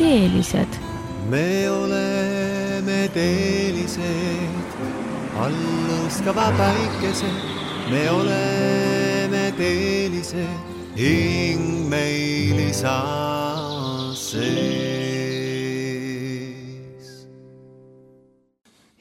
teelised. Me oleme teelised, allõskava päikesed. Me oleme teelised, hing meil isa sees.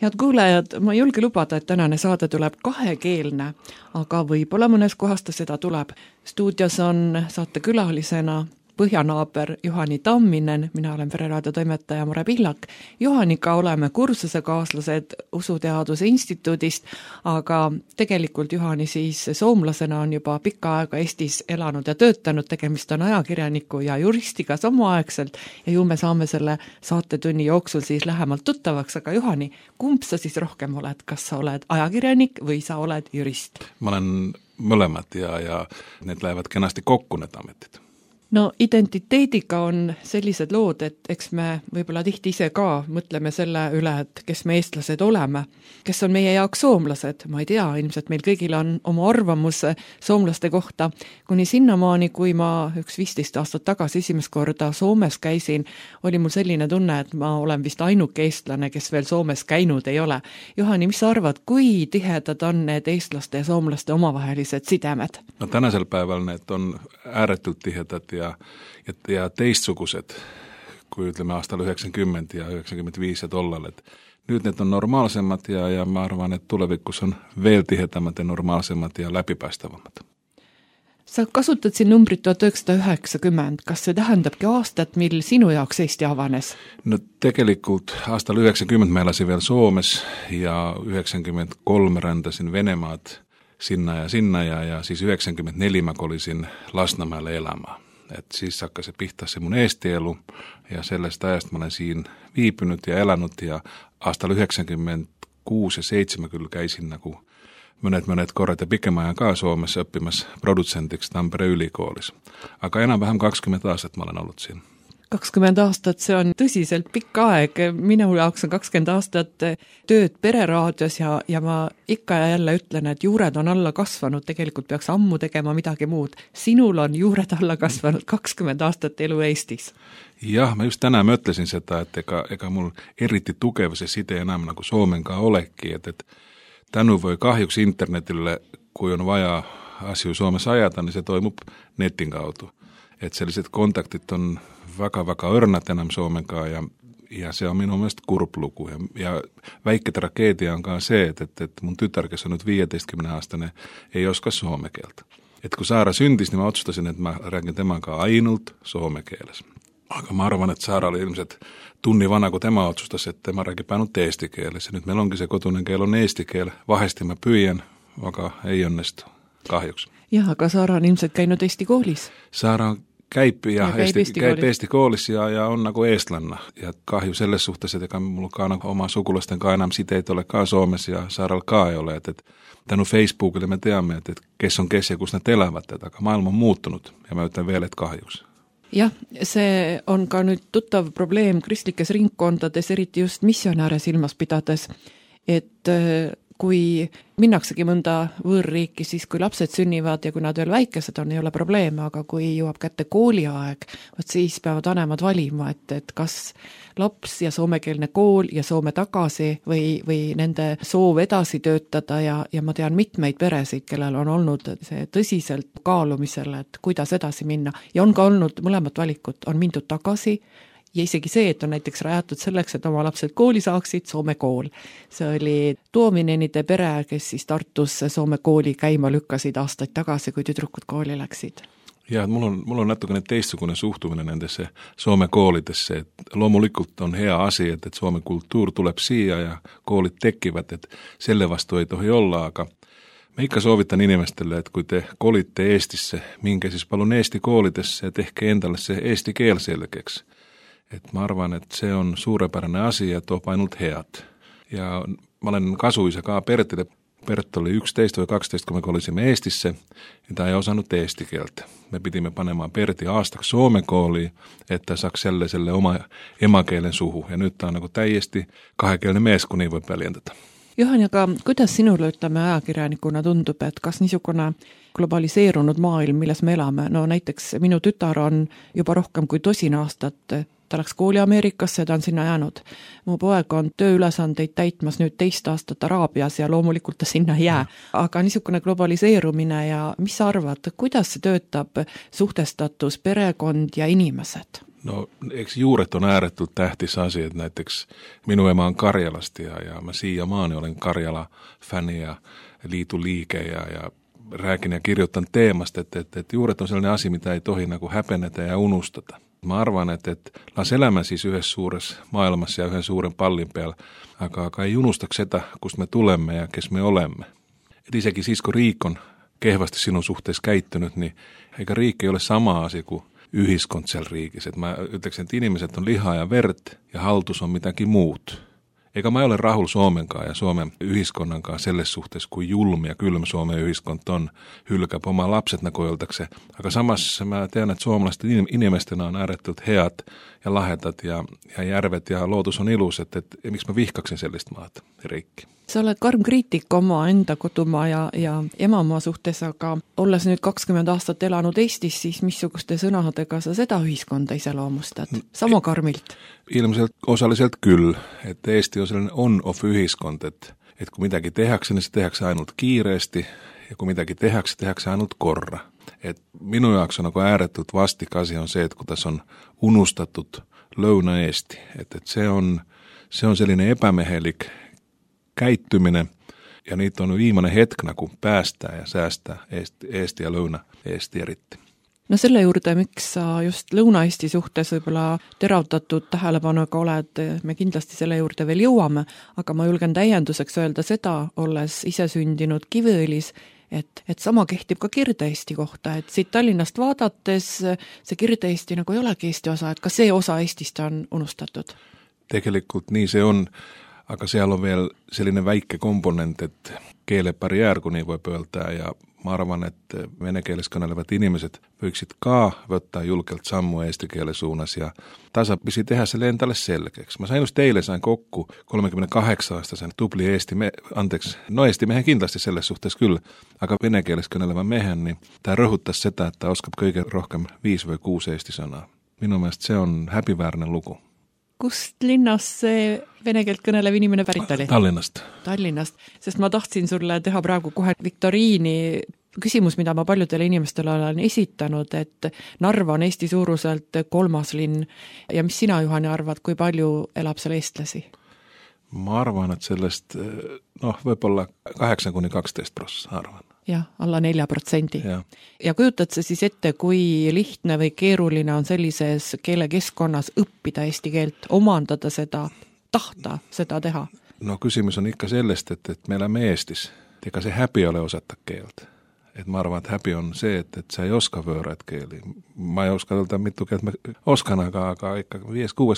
Head kuulajad, ma ei julge lubada, et tänane saade tuleb kahekeelne, aga võib-olla mõnes kohas ta seda tuleb. Stuudios on saate külalisena põhjanaaber Juhani Tamminen, mina olen Pereraadio toimetaja Mure Pihlak. Juhaniga oleme kursusekaaslased Usuteaduse instituudist, aga tegelikult Juhani siis soomlasena on juba pikka aega Eestis elanud ja töötanud, tegemist on ajakirjaniku ja juristiga samaaegselt ja ju me saame selle saatetunni jooksul siis lähemalt tuttavaks, aga Juhani, kumb sa siis rohkem oled, kas sa oled ajakirjanik või sa oled jurist? Ma olen mõlemad ja need lähevad kenasti kokku need ametid. No identiteediga on sellised lood, et eks me võib-olla tihti ise ka mõtleme selle üle, et kes me eestlased oleme, kes on meie jaoks soomlased, ma ei tea, ilmselt meil kõigil on oma arvamus soomlaste kohta, kuni sinnamaani, kui ma üks 15 aastat tagasi esimest korda Soomes käisin, oli mul selline tunne, et ma olen vist ainuke eestlane, kes veel Soomes käinud ei ole. Juhani, mis sa arvad, kui tihedad on need eestlaste ja soomlaste omavahelised sidemed? No tänasel päeval need on ääretult tihedad ja teistsugused, kui ütleme aastal 90 ja 95 ja tollal, et nüüd need on normaalsemad ja ma arvan, et tulevikus on veel tihedamad ja normaalsemad ja läbipäästavamad. Sa kasutad siin numbrit 1990, kas see tähendabki aastat, mil sinu jaoks Eesti avanes? No tegelikult aastal 90 ma elasin veel Soomes ja 93 rändasin Venemaad sinna ja siis 94 ma kolisin Lasnamäele elama. Et siis hakkas pihta see mun Eesti elu ja sellest ajast ma olen siin viibinud ja elanud ja aastal 96 ja 7 küll käisin nagu mõned korrad ja pikema aja ka Soomes õppimas produtsendiks Tampere ülikoolis. Aga enam-vähem 20 aastat ma olen olnud siin. 20 aastat, see on tõsiselt pikk aeg. Minu jaoks on 20 aastat tööd Pereraadios ja ma ikka ja jälle ütlen, et juured on alla kasvanud, tegelikult peaks ammu tegema midagi muud. Sinul on juured alla kasvanud 20 aastat elu Eestis. Jah, ma just täna mõtlesin seda, et ega mul eriti tugev see side enam nagu Soomenga olegi, et tänu või kahjuks internetile, kui on vaja asju Soomes ajada, niin see toimub netin kaudu. Et sellised kontaktit on väga-väga õrnad enam Soomenga ja see on minu meelest kurb lugu ja väike tragedija on ka see, et mun tütar, kes on nüüd 15-aastane, ei oska soome keelt. Et kui Saara sündis, niin ma otsustasin, et ma räägin temaga ainult soome keeles. Aga ma arvan, et Saara oli ilmselt tunni vana, kui tema otsustas, et tema räägib ainult eesti keeles ja nüüd meil ongi see kodune keel on eesti keel, vahesti ma püüan, aga ei õnnestu, kahjuks. Jah, aga Saara on ilmselt käinud Eesti koolis. Saara käib Eesti koolis ja on nagu eestlanna ja kahju selles suhtes, et ega mul ka nagu oma sugulasten ka enam sideid ole ka Soomes ja Saaral ka ei ole, et tänu Facebookile me teame, et kes on kes ja kus nad elavad, aga maailm on muutunud ja ma ütlen veel, et kahjuks. Jah, see on ka nüüd tuttav probleem kristlikes ringkondades, eriti just missionääre silmas pidades, et kui minnaksegi mõnda võõrriiki, siis kui lapsed sünnivad ja kui nad veel väikesed on, ei ole probleeme, aga kui jõuab kätte kooliaeg, siis peavad vanemad valima, et kas laps ja soomekeelne kool ja Soome tagasi või nende soov edasi töötada ja ma tean mitmeid peresid, kellel on olnud see tõsiselt kaalumisel, et kuidas edasi minna ja on ka olnud mõlemat valikut, on mindud tagasi ja isegi see, et on näiteks rajatud selleks, et oma lapsed kooli saaksid, Soome kool. See oli Tuominenide pere, kes siis Tartus Soome kooli käima lükkasid aastaid tagasi, kui tüdrukud kooli läksid. Ja mul on natukene teistsugune suhtumine nendesse Soome koolidesse, et loomulikult on hea asi, et Soome kultuur tuleb siia ja koolid tekivad, et selle vastu ei tohi olla, aga ma ikka soovitan inimestele, et kui te kolite Eestisse, minge siis palun Eesti koolidesse ja tehke endale see eesti keel selgeks. Et ma arvan, et see on suurepärane asi ja toob ainult head. Ja ma olen kasuisa ka Pertile. Pert oli 11 või 12, kui me kolisime Eestisse ja ta ei osanud eesti keelt. Me pidime panema Perti aastaks Soome kooli, et ta saaks selle oma emakeelen suhu ja nüüd ta on nagu täiesti kahekeelne mees, kui nii võib väljendada. Juhani, aga kuidas sinule ütleme ajakirjanikuna tundub, et kas niisugune globaliseerunud maailm, milles me elame, no näiteks minu tütar on juba rohkem kui 10 aastat ta läks kooli Ameerikasse ja ta on sinna jäänud. Mu poeg on tööülesandeid täitmas nüüd 2 aastat Araabias ja loomulikult ta sinna ei jää. Aga niisugune globaliseerumine ja mis sa arvad, kuidas see töötab suhtestatus, perekond ja inimesed? No eks juuret on ääretult tähtis asi, et näiteks minu ema on Karjalast ja mä siiamaani olen Karjala fäni ja liitu liike ja rääkin ja kirjoitan teemasta, että juuret on sellainen asia, mitä ei tohi nagu häpenetä ja unustata. Mä arvan, että las elämä siis yhdessä suuressa maailmassa ja yhden suuren pallin päällä, aga ei unustaks sitä, kust me tulemme ja kes me olemme. Et isäkin siis, kun riik on kehvasti sinun suhteessa käyttänyt, niin eikä riik ei ole sama asia kuin yhiskond siellä riikissä. Et mä ytleksin, että ihmiset on lihaa ja vert ja haltus on mitäkin muut. Eikä mä ei ole rahul Suomenkaan ja Suomen yhiskonnankaan selle suhteessa kuin julmi ja kylmä Suomen yhiskont on hylkäp oma lapset näköiltäkseen. Aga samassa mä tiedän, että suomalaiset inimestenä on äärettöt heat ja lahetat ja järvet ja lootus on ilus, että miksi mä vihkaksin sellist maata, Riikki. Sa oled karm kriitik oma enda kodumaa ja emamaa suhtes, aga olles nüüd 20 aastat elanud Eestis, siis missuguste sõnadega sa seda ühiskonda iseloomustad? Sama karmilt? Ilmiselt osaliselt küll, että Eesti on sellainen on-off ühiskond, että kun mitäkin tehakse, niin se tehakse ainult kiireesti ja kun mitäkin tehakse ainult korra. Et minun jaoks on ääretult vastik asia on se, että kun tässä on unustatut Louna-Eesti, että se on sellainen epämehelik käyttyminen ja niitä on viimeinen hetkenä, kun päästään ja säästää Eesti ja Lõuna-Eesti eritti. No selle juurde, miks sa just Lõuna-Eesti suhtes võib-olla teravdatud tähelepanuga oled, me kindlasti selle juurde veel jõuame, aga ma julgen täienduseks öelda seda, olles ise sündinud Kiviõlis, et sama kehtib ka Kirde-Eesti kohta, et siit Tallinnast vaadates see Kirde-Eesti nagu ei olegi Eesti osa, et ka see osa Eestist on unustatud? Tegelikult nii see on. Aga siellä on vielä sellainen väikkä komponent, että kielebarriär, kun niin voi pöytää, ja mä arvan, että venekielessä kõnelevat ihmiset võiksid ka võttaa julkelt sammu eesti keele suunas ja tasapisi tehdä se lentälle selkeäksi. Mä sain just teille kokku 38-aastaisen tupli Eesti mehen kindlasti selles suhteessa kyllä, aga venekielessä kõnelevan mehen, niin tää rõhuttaisi sitä, että oskab kõige rohkem 5 või 6 eesti sõnaa. Minun mielestä se on häbiväärne lugu. Kust linnas see vene keelt kõnelev inimene pärit oli? Tallinnast, sest ma tahtsin sulle teha praegu kohe viktoriini küsimus, mida ma paljudele inimestele olen esitanud, et Narva on Eesti suuruselt 3. linn ja mis sina, Juhani, arvad, kui palju elab seal eestlasi? Ma arvan, et sellest võib-olla 8-12% arvan. Jah, alla 4%. Ja kujutad sa siis ette, kui lihtne või keeruline on sellises keelekeskkonnas õppida eesti keelt, omandada seda, tahta seda teha? No kysymys on ikka sellest, että me elämme Eestis. Eikä se häpi ole osata keeltä. Et mä arvan, että häpi on se, että sä ei oska vöörät keeliä. Mä ei oska tältä mittu keeltä, mä oskan aika 5-6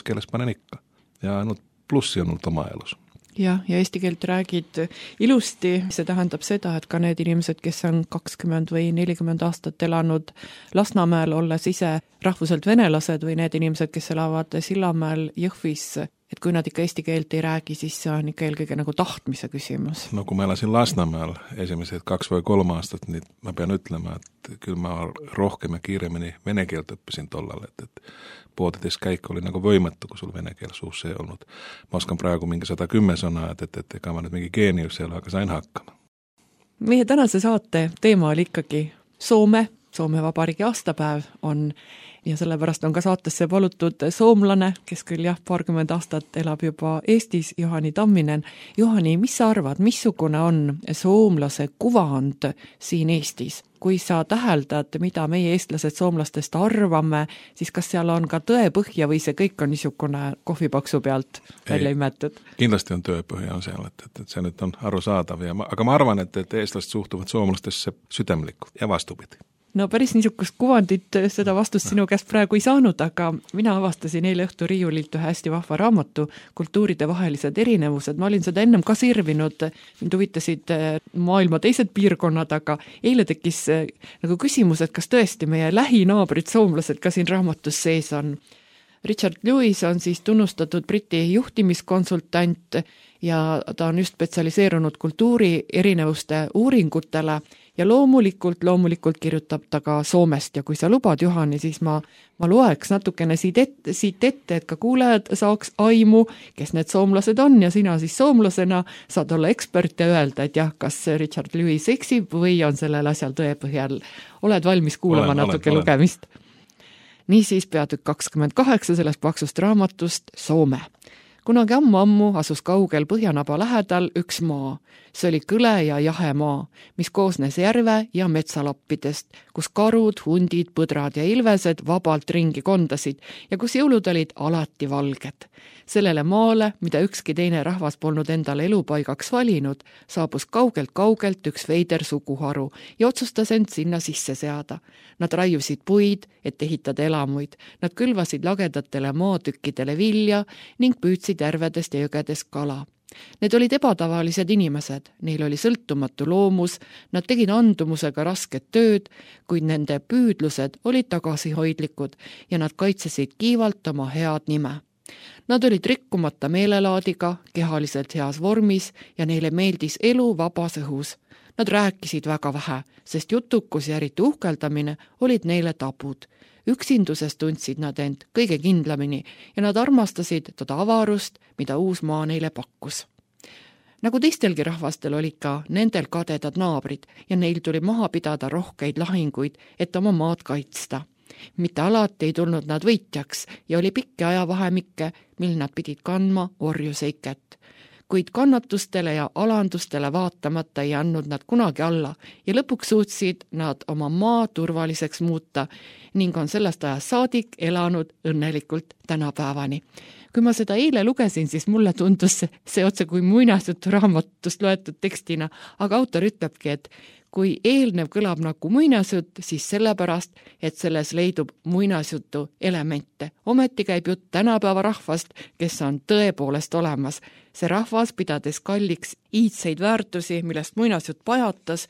kielessä panen ikka. Ja ainult plussi on ollut oma elus. Ja eesti keelt räägid ilusti, see tähendab seda, et ka need inimesed, kes on 20 või 40 aastat elanud Lasnamäel, olles ise rahvuselt venelased või need inimesed, kes elavad Sillamäel, Jõhvis, et kui nad ikka eesti keelt ei räägi, siis see on ikka eelkõige nagu tahtmise küsimus. No kun mä elasin Lasnamäel esimesed 2 või 3 aastat, niin mä pean ütlema, että kyllä mä rohkem ja kiiremmin vene keelt õppisin tollalle, että puotetis käikko oli nagu võimatu, kun sul vene keel suussa ei olnud. Mä oskan praegu mingi 110 sõna, et ega mä nüüd mingi geenius ei ole, aga sain hakkama. Meie tänase saate teema oli ikkagi Soome Vabariigi aastapäev on ja sellepärast on ka saatesse palutud soomlane, kes küll 20 aastat elab juba Eestis, Juhani Tamminen. Juhani, mis sa arvad, missugune on soomlase kuvand siin Eestis? Kui sa täheldad, mida meie eestlased soomlastest arvame, siis kas seal on ka tõepõhja või see kõik on niisugune kohvipaksu pealt välja imetud? Kindlasti on tõepõhja on seal, et see nüüd on arusaadav, aga ma arvan, et eestlased suhtuvad soomlastesse südamlikult ja vastupidi. No päris niisugust kuvandit seda vastust sinu käest praegu ei saanud, aga mina avastasin eile õhtu riiulilt ühe hästi vahva raamatu Kultuuride vahelised erinevused. Ma olin seda ennem ka sirvinud, mind huvitasid maailma teised piirkonnad, aga eile tekkis nagu küsimus, et kas tõesti meie lähinaabrid soomlased ka siin raamatus sees on. Richard Lewis on siis tunnustatud Briti juhtimiskonsultant ja ta on just spetsialiseerunud kultuuri erinevuste uuringutele ja loomulikult kirjutab ta ka Soomest ja kui sa lubad, Juhani, siis ma loeks natukene siit ette, et ka kuulajad saaks aimu, kes need soomlased on ja sina siis soomlasena saad olla ekspert ja öelda, et jah, kas Richard Lewis eksib või on sellel asjal tõe põhjal. Oled valmis kuulama natuke lugemist? Niisiis peatükk 28 sellest paksust raamatust Soome. Kunagi ammu asus kaugel Põhjanaba lähedal üks maa. See oli kõle ja jahe maa, mis koosnes järve ja metsalappidest, kus karud, hundid, põdrad ja ilvesed vabalt ringi kondasid ja kus jõulud olid alati valged. Sellele maale, mida ükski teine rahvas polnud endale elupaigaks valinud, saabus kaugelt üks veider suguharu ja otsustas end sinna sisse seada. Nad raiusid puid, et ehitada elamuid. Nad külvasid lagedatele maatükkidele vilja ning püüdsid järvedest ja jõgedest kala. Need olid ebatavalised inimesed, neil oli sõltumatu loomus, nad tegid andumusega rasket tööd, kuid nende püüdlused olid tagasihoidlikud ja nad kaitsesid kiivalt oma head nime. Nad olid rikkumata meelelaadiga, kehaliselt heas vormis ja neile meeldis elu vabas õhus. Nad rääkisid väga vähe, sest jutukus ja eriti uhkeldamine olid neile tabud. Üksinduses tundsid nad end kõige kindlamini ja nad armastasid toda avarust, mida uus maa neile pakkus. Nagu teistelgi rahvastel olid ka nendel kadedad naabrid ja neil tuli maha pidada rohkeid lahinguid, et oma maad kaitsta. Mitte alati ei tulnud nad võitjaks ja oli pikki ajavahemikke, mil nad pidid kandma orjuseiket. Kuid kannatustele ja alandustele vaatamata ei andnud nad kunagi alla ja lõpuks suutsid nad oma maa turvaliseks muuta ning on sellest ajast saadik elanud õnnelikult tänapäevani. Kui ma seda eile lugesin, siis mulle tundus see otse kui muinasjutu raamatust loetud tekstina, aga autor ütlebki, et kui eelnev kõlab nagu muinasjutt, siis sellepärast, et selles leidub muinasjutu elemente. Ometi käib jutt tänapäeva rahvast, kes on tõepoolest olemas. See rahvas, pidades kalliks iidseid väärtusi, millest muinasjutt pajatas,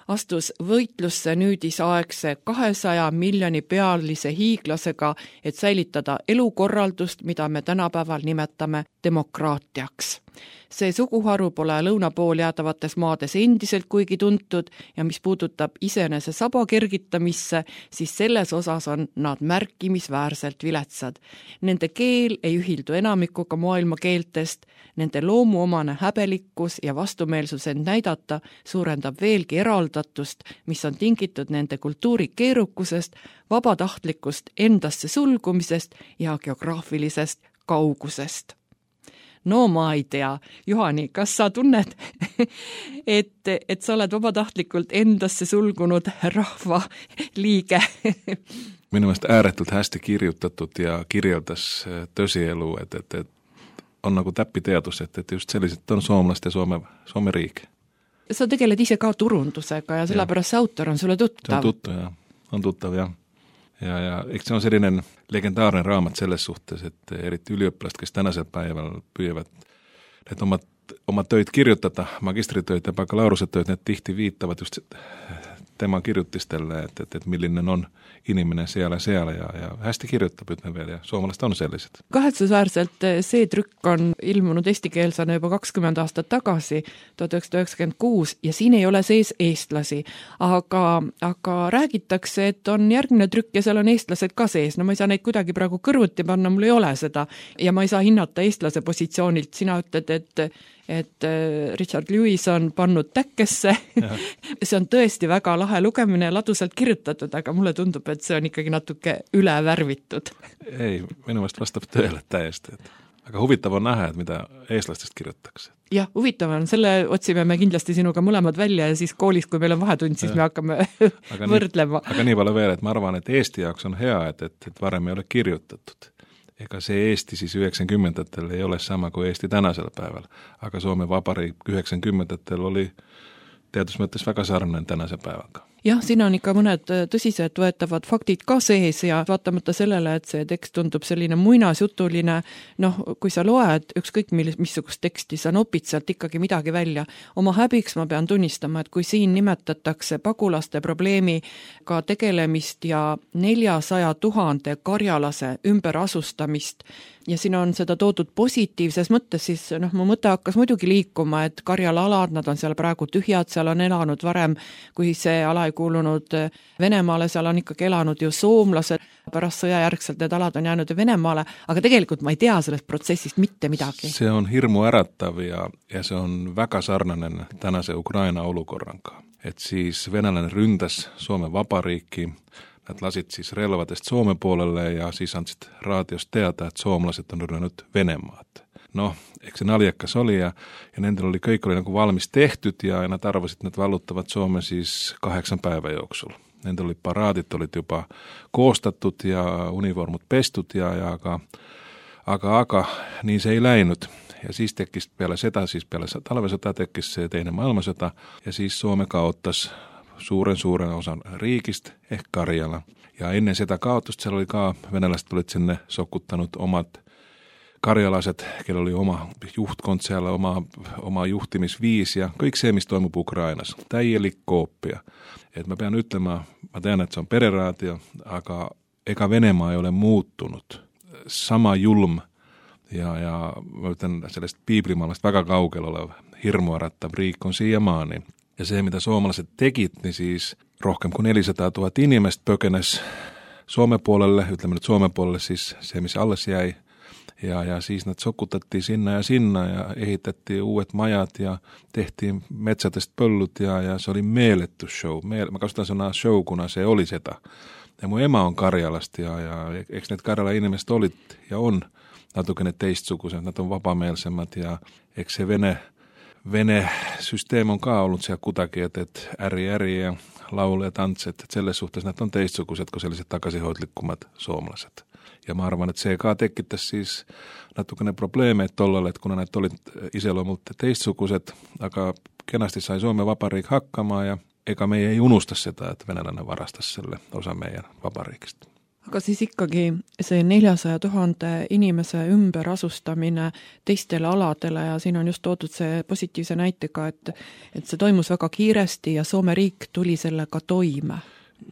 astus võitlusse nüüdisaegse 200 miljoni pealise hiiglasega, et säilitada elukorraldust, mida me tänapäeval nimetame demokraatiaks. See suguharu pole lõuna pool jäädavates maades endiselt kuigi tuntud ja mis puudutab iseenese saba kergitamisse, siis selles osas on nad märkimisväärselt viletsad. Nende keel ei ühildu enamikuga maailma keeltest, nende loomuomane häbelikkus ja vastumeelsus end näidata suurendab veelgi eraldatust, mis on tingitud nende kultuuri keerukusest, vabatahtlikust endasse sulgumisest ja geograafilisest kaugusest. No ma ei tea, Juhani, kas sa tunned, et sa oled vabatahtlikult endasse sulgunud rahva liige? Minu meelest ääretult hästi kirjutatud ja kirjeldas tõsielu, et on nagu täppiteadus, et just sellised on soomlaste ja Soome riik. Sa tegeled ise ka turundusega ja sellepärast see autor on sulle tuttav. See on tuttav, jah. Ja eks see on selline legendaarne raamat selles suhtes, et eriti üliõpilast, kes tänasel päeval püüavad need oma töid kirjutada, magistritöid ja bakalaureusetöid, need tihti viitavad just tema kirjutistele, et milline on inimene seal ja hästi kirjutab, ütleme veel, ja soomlased on sellised. Kahetsusväärselt see trükk on ilmunud eestikeelsena juba 20 aastat tagasi, 1996, ja siin ei ole sees eestlasi, aga räägitakse, et on järgmine trükk ja seal on eestlased ka sees. No ma ei saa neid kuidagi praegu kõrvuti panna, mul ei ole seda ja ma ei saa hinnata eestlase positsioonilt. Sina ütled, et Richard Lewis on pannud täkkesse. See on tõesti väga lahe lugemine ja ladusalt kirjutatud, aga mulle tundub, et see on ikkagi natuke üle värvitud. Ei, minu meelest vastab tõele täiesti. Aga huvitav on näha, et mida eestlastest kirjutatakse. Jah, huvitav on, selle otsime me kindlasti sinuga mõlemad välja ja siis koolis, kui meil on vahetund, siis me hakkame võrdlema. Aga nii palju veel, et ma arvan, et Eesti jaoks on hea, et varem ei ole kirjutatud. Ega see Eesti siis 90-ndatel ei ole sama kui Eesti tänasel päeval, aga Soome Vabariik 90-ndatel oli teadusmõttes väga sarnane tänase päevaga. Jah, siin on ikka mõned tõsiselt võetavad faktid ka sees ja vaatamata sellele, et see tekst tundub selline muinasjutuline, noh, kui sa loed ükskõik missugust teksti, sa nopid sealt ikkagi midagi välja. Oma häbiks ma pean tunnistama, et kui siin nimetatakse pagulaste probleemiga tegelemist ja 400 000 karjalase ümberasustamist ja siin on seda toodud positiivses mõttes, siis mu mõte hakkas muidugi liikuma, et Karjala alad, nad on seal praegu tühjad, seal on elanud varem, kui see ala ei kuulunud Venemaale, seal on ikkagi elanud ju soomlased, pärast sõjajärgselt need alad on jäänud Venemaale, aga tegelikult ma ei tea sellest protsessist mitte midagi. See on hirmu äratav ja see on väga sarnanen tänase Ukraina olukorranka. Et siis venelane ründas Soome vabariiki, nad lasid siis relvadest Soome poolele ja siis andsid raadiost teada, et soomlased on rünnanud Venemaad. Noh, eks see naljakas oli ja nendel oli kõik oli nagu valmis tehtud ja nad arvasid, et nad vallutavad Soome siis 8 päeva jooksul. Nendel oli paraadid, olid juba koostatud ja univormud pestud aga nii see ei läinud. Ja siis tekkis peale talvesõda tekkis see teine maailmasõda ja siis Soome kaotas suuren osa riigist ehk Karjala. Ja enne seda kaotust seal oli ka, venelased olid sinne sokutanud omad karjalased, kellel oli oma juhtkond seal, oma juhtimisviis ja kõik see, mis toimub Ukrainas. Täielik koopia. Et ma pean ütlema, ma tean, et see on pereraadio, aga ega Venemaa ei ole muutunud. Sama julm ja ma ütlen sellest piiblimaalast väga kaugel olev hirmuäratav riik on siiamaani. Ja see, mida soomlased tegid, niin siis rohkem kui 400 000 inimest pökenes Soome poolelle, ütleme nüüd Soome poolelle siis see, mis alles jäi. Ja siis nad sokutati sinna ja ehitati uued majad ja tehti metsadest põllud ja see oli meeletu show. Ma kasutan sõna show, kuna see oli seda. Ja mu ema on Karjalast ja eks need Karjala inimesed olid ja on natukene teistsugused, nad on vabameelsemad ja eks see Vene süsteem on ka olnud seal kudagi, et äri ja laulu ja tants, et selles suhtes nad on teistsugused kui sellised tagasihoidlikumad soomlased. Ja ma arvan, et see ka tekitas siis natukene probleeme, et tollal, et kuna need olid iseloomult teistsugused, aga kenasti sai Soome vabariik hakkama ja ega meie ei unustas seda, et venelane varastas selle osa meie vabariigist. Aga siis ikkagi see 400 000 inimese ümberasustamine teistele aladele ja siin on just toodud see positiivse näitega, et see toimus väga kiiresti ja Soome riik tuli sellega toime.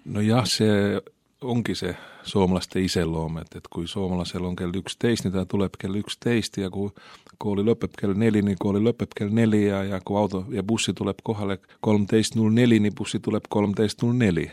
No jah, see ongi see soomlaste iseloom, et kui soomlasel on kell 11, niin ta tuleb kell 11 ja kui kooli lõpeb kell 4, niin kooli lõpeb kell 4 ja kui auto ja bussi tuleb kohale 13.04, niin bussi tuleb 13.04.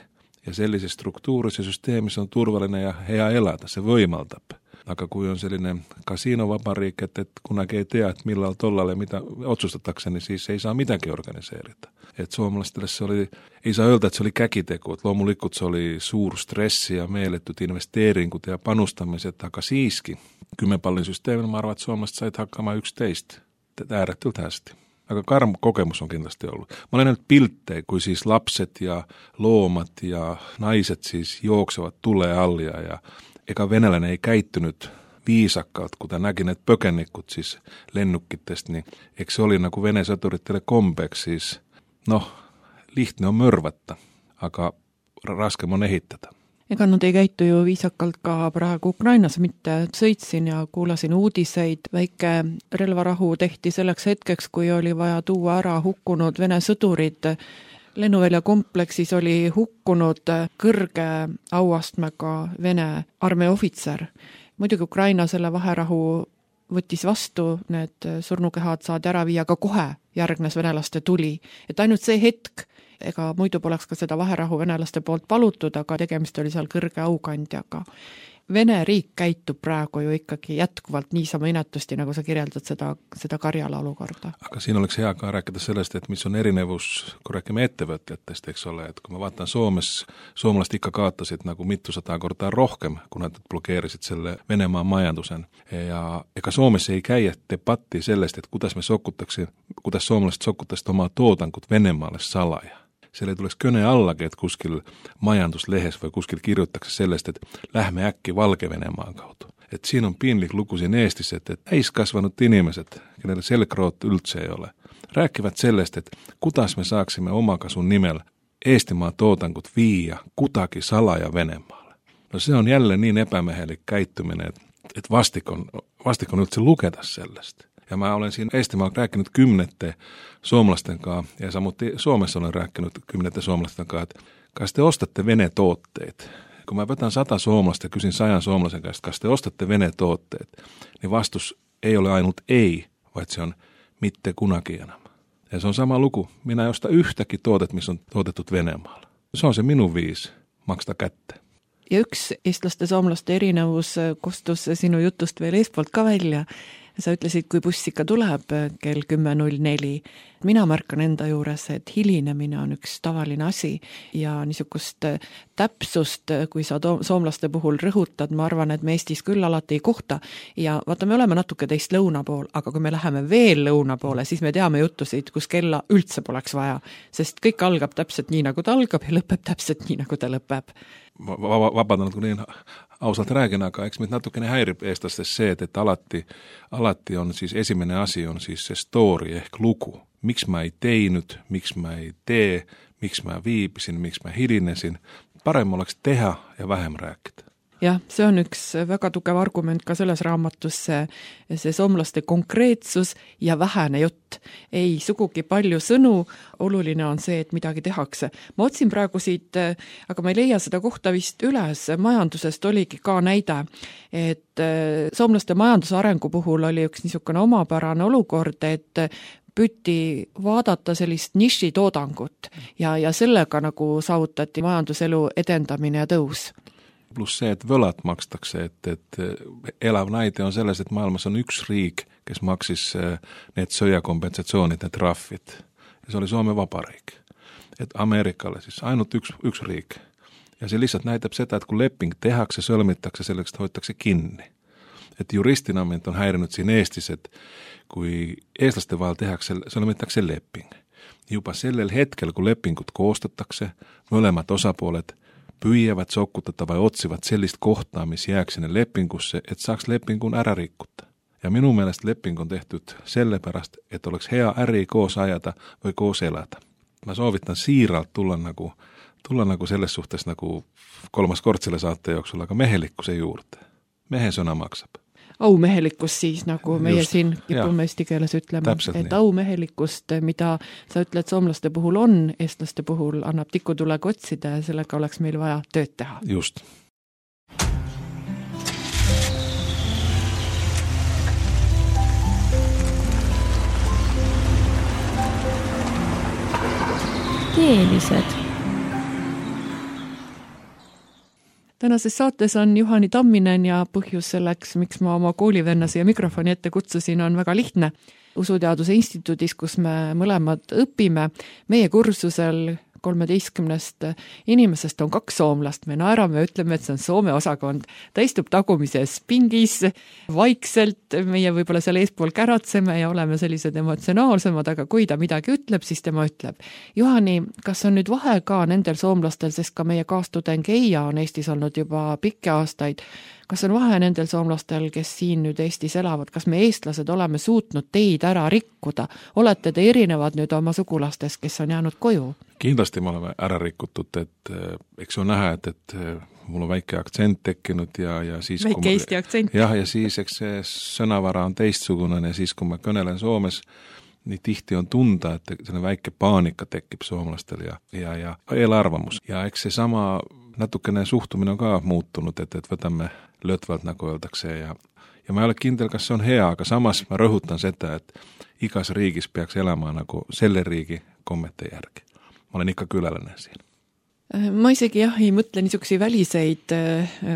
Ja sellises struktuuris ja systeemis on turvallinen ja hea elada, se võimaldab. Aga kui on selline kasiinovapariik, että kunagi ei tea, että millal tollalle mitä otsustatakse, niin siis ei saa midagi organiseerida. Et suomalastele se oli, ei saa öelda, että se oli käkiteko. Et loomulikult se oli suur stressi ja meeletut investeeringut ja panustamiset, aga siiski. Kymmenpallin systeemin, mä arvan, että suomalaiset sait hakkaamaan 11. Äärettylt hästi. Aika karm kokemus on kindlasti ollut. Mä olen nähnyt pilttejä, kui siis lapset ja loomat ja naiset siis juoksevat tulee allia ja eka venäläinen ei käittynyt viisakkaat, kun näki näitä pökennikkut siis lennukkitest, niin eikö se oli nagu Vene sõdurittele kombeksi siis, lihtne on mörvatta, aga raskem on ehitada. Ega nad ei käitu ju viisakalt ka praegu Ukrainas, mitte sõitsin ja kuulasin uudiseid. Väike relvarahu tehti selleks hetkeks, kui oli vaja tuua ära hukkunud Vene sõdurid. Lennuvälja kompleksis oli hukkunud kõrge auastmega Vene armee ohvitser. Muidugi Ukraina selle vaherahu võttis vastu, need surnukehad saadi ära viia, aga kohe järgnes venelaste tuli. Et ainult see hetk, ega muidu poleks ka seda vaherahu venelaste poolt palutud, aga tegemist oli seal kõrge aukandjaga. Vene riik käitub praegu ju ikkagi jätkuvalt niisama inetusti, nagu sa kirjeldad seda Karjala olukorda. Aga siin oleks hea ka rääkida sellest, et mis on erinevus, kui rääkime ettevõtjatest, eks ole, et kui ma vaatan Soomes, soomlast ikka kaotasid nagu mitusada korda rohkem, kui nad blokeerisid selle Venemaa majandusen. Ja ega Soomes ei käi debatti sellest, et kuidas soomlased sokutasid oma toodangut Venemaale salaja. Siellä ei tuleks köne allagi, että kuskil majanduslehes või kuskil kirjoittaksi sellest, että lähme äkki Valge-Venemaan kautta. Et siinä on piinlik luku siin Eestis, että täiskasvanut inimeset, kenelle selkroot üldse ei ole, rääkivät sellest, että kutas me saaksimme omakasun nimellä Eestimaa tootankut viia kutakin salaja Venemaalle. No se on jälleen niin epämehellik käyttyminen, että vastikon nyt se luketa sellaista. Ja mä olen siinä Eestimaalla rääkkinyt 10 suomalaisten kanssa, ja samoin Suomessa olen rääkkinyt 10 suomalaisten kanssa, että kai te ostatte venetootteet. Kun mä vetän 100 suomalaista ja kysyn 100 suomalaisen kanssa, että kai te ostatte venetootteet, niin vastus ei ole ainut ei, vaan se on mitte kunakienama. Ja se on sama luku. Minä ei osta yhtäkin tuotet, missä on tuotetut Venemaalla. Se on se minun viisi, maksta kättä. Ja üks eestlaste soomlaste erinevus kostus sinu jutust veel eespoolt ka välja. Sa ütlesid, kui buss ikka tuleb kell 10.04. Mina märkan enda juures, et hilinemine on üks tavaline asi ja niisugust täpsust, kui sa soomlaste puhul rõhutad, ma arvan, et me Eestis küll alati ei kohta. Ja vaata, me oleme natuke teist lõuna pool, aga kui me läheme veel lõuna poole, siis me teame jutusid, kus kella üldse poleks vaja, sest kõik algab täpselt nii, nagu ta algab ja lõpeb täpselt nii, nagu ta lõpeb. Vapadan, kun niin ausalt rääkin, aga eks meid natukene häirib eestlastest see, et alati on siis esimene asi on siis se story ehk lugu. Miks mä ei teinyt, miks mä ei tee, miks mä viipisin, miks mä hilinesin. Parem oleks teha ja vähem rääkida. Jah, see on üks väga tugev argument ka selles raamatus, see soomlaste konkreetsus ja vähene jutt. Ei sugugi palju sõnu, oluline on see, et midagi tehakse. Ma otsin praegu siit, aga ma ei leia seda kohta vist üles, majandusest oligi ka näide, et soomlaste majandusarengu puhul oli üks niisugune omapärane olukord, et püüti vaadata sellist nišitoodangut ja sellega nagu saavutati majanduselu edendamine ja tõus. Plus se, että velat makstakse, että elävä näite on sellaiset, että maailmassa on yksi riik, kes maksis ne söjäkompensatsioonit, ne traffit. Ja se oli Suomen vapariik. Että Amerikalle siis ainut yksi riik. Ja se lisät näitä sitä, että kun lepping tehakse, sölmitakse sellaiset, hoitakse kinni. Että juristinament on häirinyt siinä Eestissä, että kun eestlasten vaan tehakse, sölmitakse lepping. Jopa sellel hetkellä, kun leppingut koostatakse, molemmat osapuolet pyyjävät sokkutetta vai otsivat sellist kohtaa, missä jääkö sinne leppinkusse, että saaks leppinkuun rikkuta. Ja minun mielestä leppink on tehty sellepärast, että oleks hea äri koos ajata vai koos elätä. Mä soovittan siiralt tulla nagu selles suhtes nagu kolmas kortselle saatte jooksul, aga mehelikkus ei juurde. Mehen sõna maksab. Aumehelikkus siis, nagu meie Just, siin kipume eesti keeles ütlema, Täpselt et nii. aumehelikkust, mida sa ütled soomlaste puhul on, eestlaste puhul annab tikutulega otsida ja sellega oleks meil vaja tööd teha. Just. Keelised. Tänases saates on Juhani Tamminen ja põhjus selleks, miks ma oma koolivenna siia mikrofoni ette kutsusin, on väga lihtne. Usuteaduse instituudis, kus me mõlemad õpime, meie kursusel 13 inimesest on 2 soomlast. Me naerame ja ütleme, et see on Soome osakond. Ta istub tagumises pingis, vaikselt, meie võib-olla seal eespool käratseme ja oleme sellised emotsionaalsemad, aga kui ta midagi ütleb, siis tema ütleb. Juhani, kas on nüüd vahe ka nendel soomlastel, sest ka meie kaastudeng Eija on Eestis olnud juba pikki aastaid. Kas on vahe nendel soomlastel, kes siin nüüd Eestis elavad? Kas me eestlased oleme suutnud teid ära rikkuda? Olete te erinevad nüüd oma sugulastes, kes on jäänud koju? Kindlasti me oleme ära rikutut, et eks on näha, et mul on väike aktsent tekkinud ja siis väike Eesti aktsent. Jah, ja siis eks see sõnavara on teistsugune ja siis kui ma kõnelen Soomes, nii tihti on tunda, et selline väike paanika tekib soomlastel ja eelarvamus. Ja eks see sama natukene suhtumine on ka muutunud, et võtame löötvalt, nagu öeldakse ja ma ei ole kindel, kas see on hea, aga samas ma rõhutan seda, et igas riigis peaks elama nagu selle riigi kommete järgi. Ma olen ikka külaline siin. Ma isegi ei mõtle niisuguseid väliseid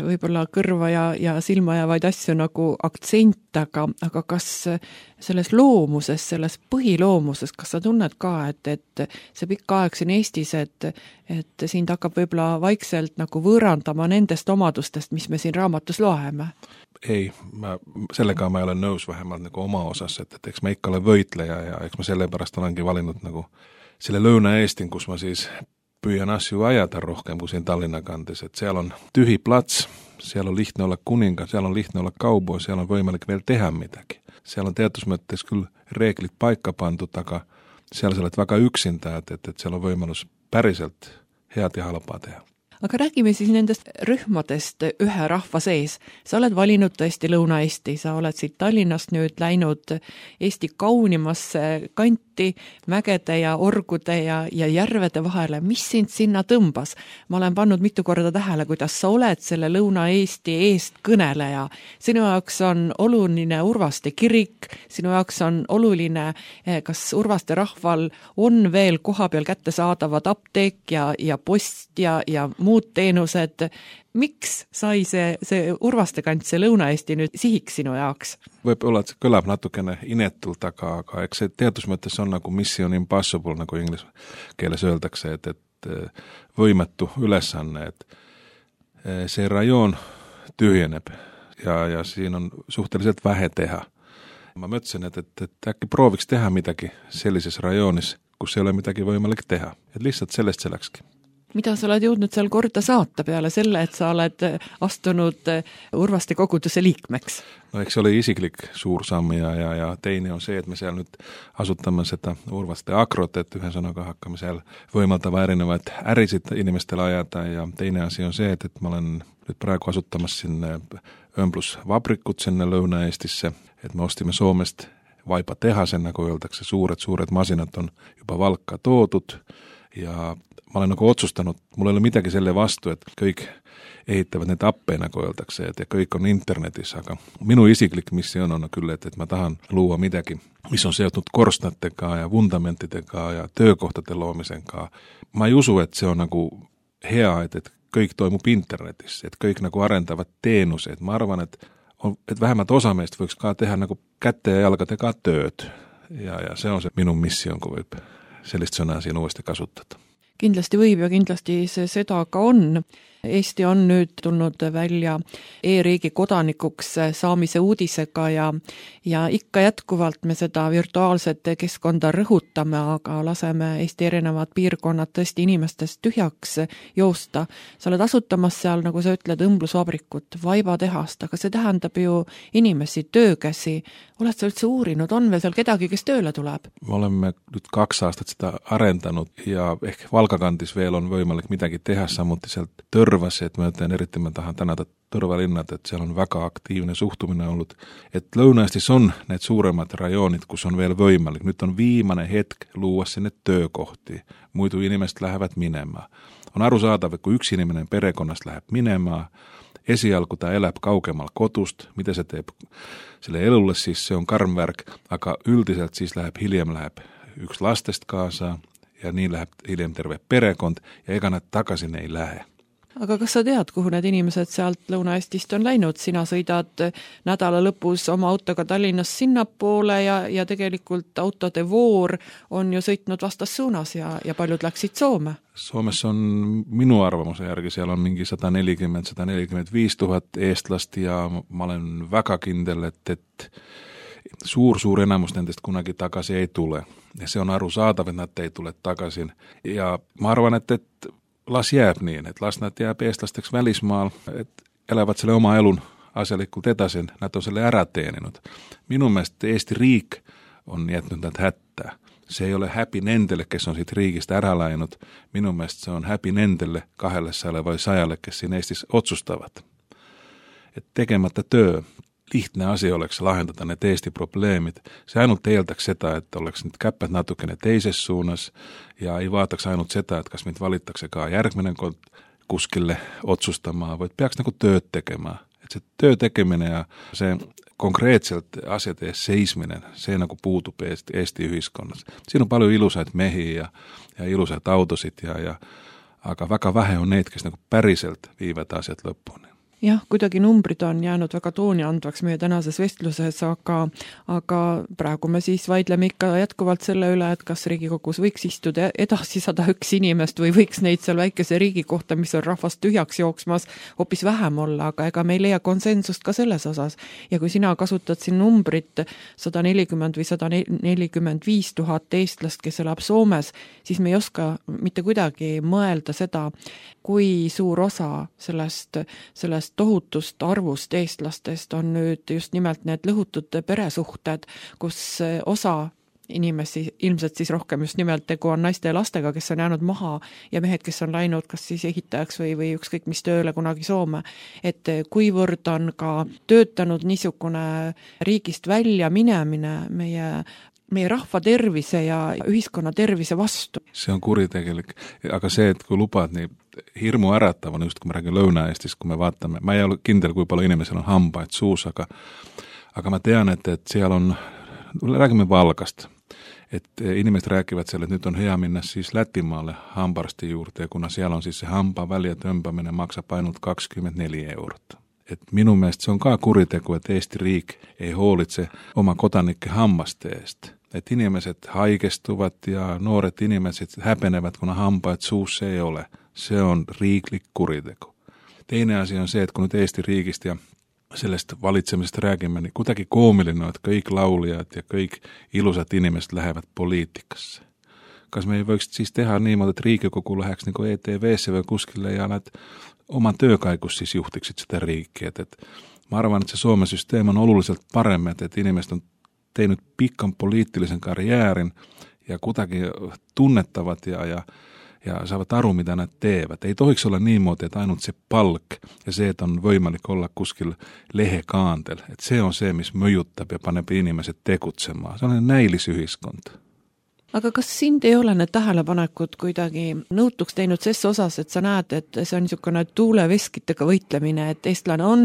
võib-olla kõrva ja silma jäävaid asju nagu aktsent, aga kas selles loomuses, selles põhiloomuses, kas sa tunned ka, et see pikk aeg siin Eestis, et sind hakkab võib-olla vaikselt nagu võõrandama nendest omadustest, mis me siin raamatus loeme? Ei, sellega ma ei ole nõus vähemalt nagu oma osas, et eks ma ikka ole võitleja ja eks ma sellepärast olengi valinud nagu selle Lõuna-Eestin, kus ma siis püüan asju ajada rohkem kuin siin Tallinna kantis, et seal on tühi plats, seal on lihtne olla kuninga, seal on lihtne olla kauboi, seal on võimalik veel teha midagi. Seal on teatud mõttes küll reeglid paika pandud, aga seal sa oled väga üksinda, et seal on võimalus päriselt head ja halba teha. Aga räägime siis nendest rühmadest ühe rahva sees. Sa oled valinud tõesti Lõuna-Eesti, sa oled siit Tallinnast nüüd läinud Eesti kaunimasse kanti, mägede ja orgude ja järvede vahele. Mis sind sinna tõmbas? Ma olen pannud mitu korda tähele, kuidas sa oled selle Lõuna-Eesti eest kõneleja. Sinu jaoks on oluline Urvaste kirik, sinu jaoks on oluline, kas Urvaste rahval on veel koha peal kättesaadavad apteek ja post ja muud teenused. Miks sai see Urvaste kant, see Lõuna-Eesti nüüd sihiks sinu jaoks? Võib-olla, et see kõlab natukene inetult, aga eks see teadusmõttes on nagu mission impossible, nagu inglise keeles öeldakse, et võimetu ülesanne, et see rajoon tühjeneb ja siin on suhteliselt vähe teha. Ma mõtlesin, et äkki prooviks teha midagi sellises rajoonis, kus ei ole midagi võimalik teha. Et lihtsalt sellest see läkski. Mida sa oled jõudnud seal korda saata peale selle, et sa oled astunud Urvaste koguduse liikmeks? No eks ole isiklik suur samm ja teine on see, et me seal nüüd asutame seda Urvaste agrot, et ühesõnaga hakkame seal võimaldama erinevaid ärisid inimestele ajada ja teine asi on see, et ma olen nüüd praegu asutamas siin õmblusvabrikut sinna Lõuna-Eestisse, et me ostime Soomest vaibatehase, nagu öeldakse, suured masinad on juba Valka toodud ja ma olen nagu otsustanud, mul ei ole midagi selle vastu, et kõik ehitavad need appe, nagu öeldakse, et kõik on internetis, aga minu isiklik missioon on küll, et ma tahan luua midagi, mis on seotud korstnatega ja fundamentidega ja töökohtade loomisega. Ma ei usu, et see on nagu hea, et kõik toimub internetis, et kõik nagu arendavad teenused. Ma arvan, et vähemalt osa meist võiks ka teha nagu käte ja jalgadega tööd ja see on see minu missioon, kui võib sellist sõna siin uuesti kasutada. Kindlasti võib ja kindlasti see seda ka on. Eesti on nüüd tulnud välja e-riigi kodanikuks saamise uudisega ja ikka jätkuvalt me seda virtuaalset keskkonda rõhutame, aga laseme Eesti erinevad piirkonnad tõesti inimestest tühjaks joosta. Sa oled asutamas seal, nagu sa ütled, õmblusvabrikut, vaibatehast, aga see tähendab ju inimesi, töökäsi. Oled sa üldse uurinud, on veel seal kedagi, kes tööle tuleb? Me oleme nüüd 2 aastat seda arendanud ja ehk Valgakandis veel on võimalik midagi teha, samuti sealt Tõrvas, et ma ütlen, eriti ma tahan tänada Tõrva linnad, et seal on väga aktiivne suhtumine olnud, et Lõuna-Eestis on need suuremad rajoonid, kus on veel võimalik. Nüüd on viimane hetk luua sinne töökohti, muidu inimesed lähevad minema. On arusaadav, et kui üks inimene perekonnast läheb minema, esialgu ta elab kaugemal kodust, mida see teeb selle elule, siis see on karm värk, aga üldiselt siis hiljem läheb üks lastest kaasa ja nii läheb hiljem terve perekond ja ega nad tagasi ei lähe. Aga kas sa tead, kuhu need inimesed sealt Lõuna-Eestist on läinud? Sina sõidad nädala lõpus oma autoga Tallinnast sinnapoole ja tegelikult autode voor on ju sõitnud vastassuunas ja paljud läksid Soome. Soomes on minu arvamuse järgi, seal on mingi 140-145 000 eestlast ja ma olen väga kindel, et suur enamus nendest kunagi tagasi ei tule. Ja see on arusaadav, et nad ei tule tagasi. Ja ma arvan, et las jääb nii, et las nad jääb eestlasteks välismaal, et elävad selle oma elun asjalikult edasi, nad on selle ära teeninud. Minu meelest Eesti riik on jätnud nad hätta. See ei ole häbi nendele, kes on siit riigist ära läinud. Minu meelest see on häbi nendele 200 või 100, kes siin Eestis otsustavad. Et tegemata töö, lihtne asi oleks lahendada need Eesti probleemid. See ainult eeldaks seda, et oleks need käpped natukene teises suunas ja ei vaataks ainult seda, et kas mind valitakse ka järgmine kord kuskile otsustama, vaid peaks nagu tööd tegema. Et see töö tegemine ja see konkreetselt asjade ees seismine, see nagu puudub Eesti ühiskonnas. Siin on palju ilusaid mehi ja ilusaid autosid aga väga vähe on neid, kes nagu päriselt viivad asjad lõpuni. Jah, kuidagi numbrid on jäänud väga tooni andvaks meie tänases vestluses, aga praegu me siis vaidleme ikka jätkuvalt selle üle, et kas Riigikogus võiks istuda edasi 101 inimest või võiks neid seal väikese riigi kohta, mis on rahvast tühjaks jooksmas, hoopis vähem olla, aga ega me ei leia konsensust ka selles osas. Ja kui sina kasutad siin numbrit 140 või 145 000 eestlast, kes elab Soomes, siis me ei oska mitte kuidagi mõelda seda, kui suur osa sellest tohutust arvust eestlastest on nüüd just nimelt need lõhutud peresuhted, kus osa inimesi, ilmselt siis rohkem just nimelt tegu on naiste ja lastega, kes on jäänud maha ja mehed, kes on läinud kas siis ehitajaks või ükskõik mis tööle kunagi Soome. Et kuivõrd on ka töötanud niisugune riigist välja minemine meie rahva tervise ja ühiskonna tervise vastu. See on kuritegelik, aga see, et kui lubad nii hirmu äratav on just, kui me räägime Lõuna-Eestis, kui me vaatame, ma ei ole kindel, kui palju inimesel on hambaid suus, aga ma tean, et seal on, räägime Valgast, et inimesed räägivad selle, et nüüd on hea minna siis Lätimaale hambarsti juurde ja kuna seal on siis see hamba välja tõmbamine maksab ainult 24 eurot. Et minu meelest see on ka kuritegu, et Eesti riik ei hoolitse oma kodanike hammaste eest. Et inimesed haigestuvad ja noored inimesed häbenevad, kuna hambaid suus ei ole. See on riiklik kuritegu. Teine asi on see, et kui nüüd Eesti riigist ja sellest valitsemisest räägime, niin kuidagi koomiline, et kõik laulijad ja kõik ilusad inimesed lähevad poliitikasse. Kas me ei võiks siis teha niimoodi, et Riigikogu läheks nagu ETV-sse või kuskile ja nad oma töökaikus siis juhtiksid sitä riikki. Et ma arvan, että se Suomen systeemi on oluliselt paremmin, että inimeset on tehnyt pitkän poliittisen karjäärin ja kutakin tunnettavat ja saavat aru, mitä nämä teevät. Ei tohiks olla niimoodi, että ainut se palk ja se, että on võimalik olla kuskil lehekaantel. Että se on se, missä möjuttab ja paneb inimeset tekutsemaan. Se on näilisyhiskonta. Aga kas sind ei ole need tähelepanekud kuidagi nõutuks teinud ses osas, et sa näed, et see on niisugune tuuleveskitega võitlemine, et eestlane on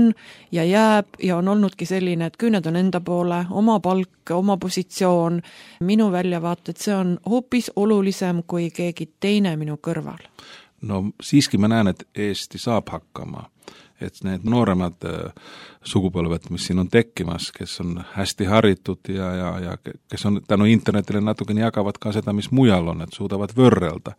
ja jääb ja on olnudki selline, et küüned on enda poole, oma palk, oma positsioon, minu väljavaat, et see on hoopis olulisem kui keegi teine minu kõrval? No siiski mä näen, että Eesti saab hakkama. Että need nooremad sukupolvet, mis siin on tekkimas, kes on hästi haritud ja kes on tänu internetille natukene jagavat ka seda, mis mujal on, että suutavat võrrelda.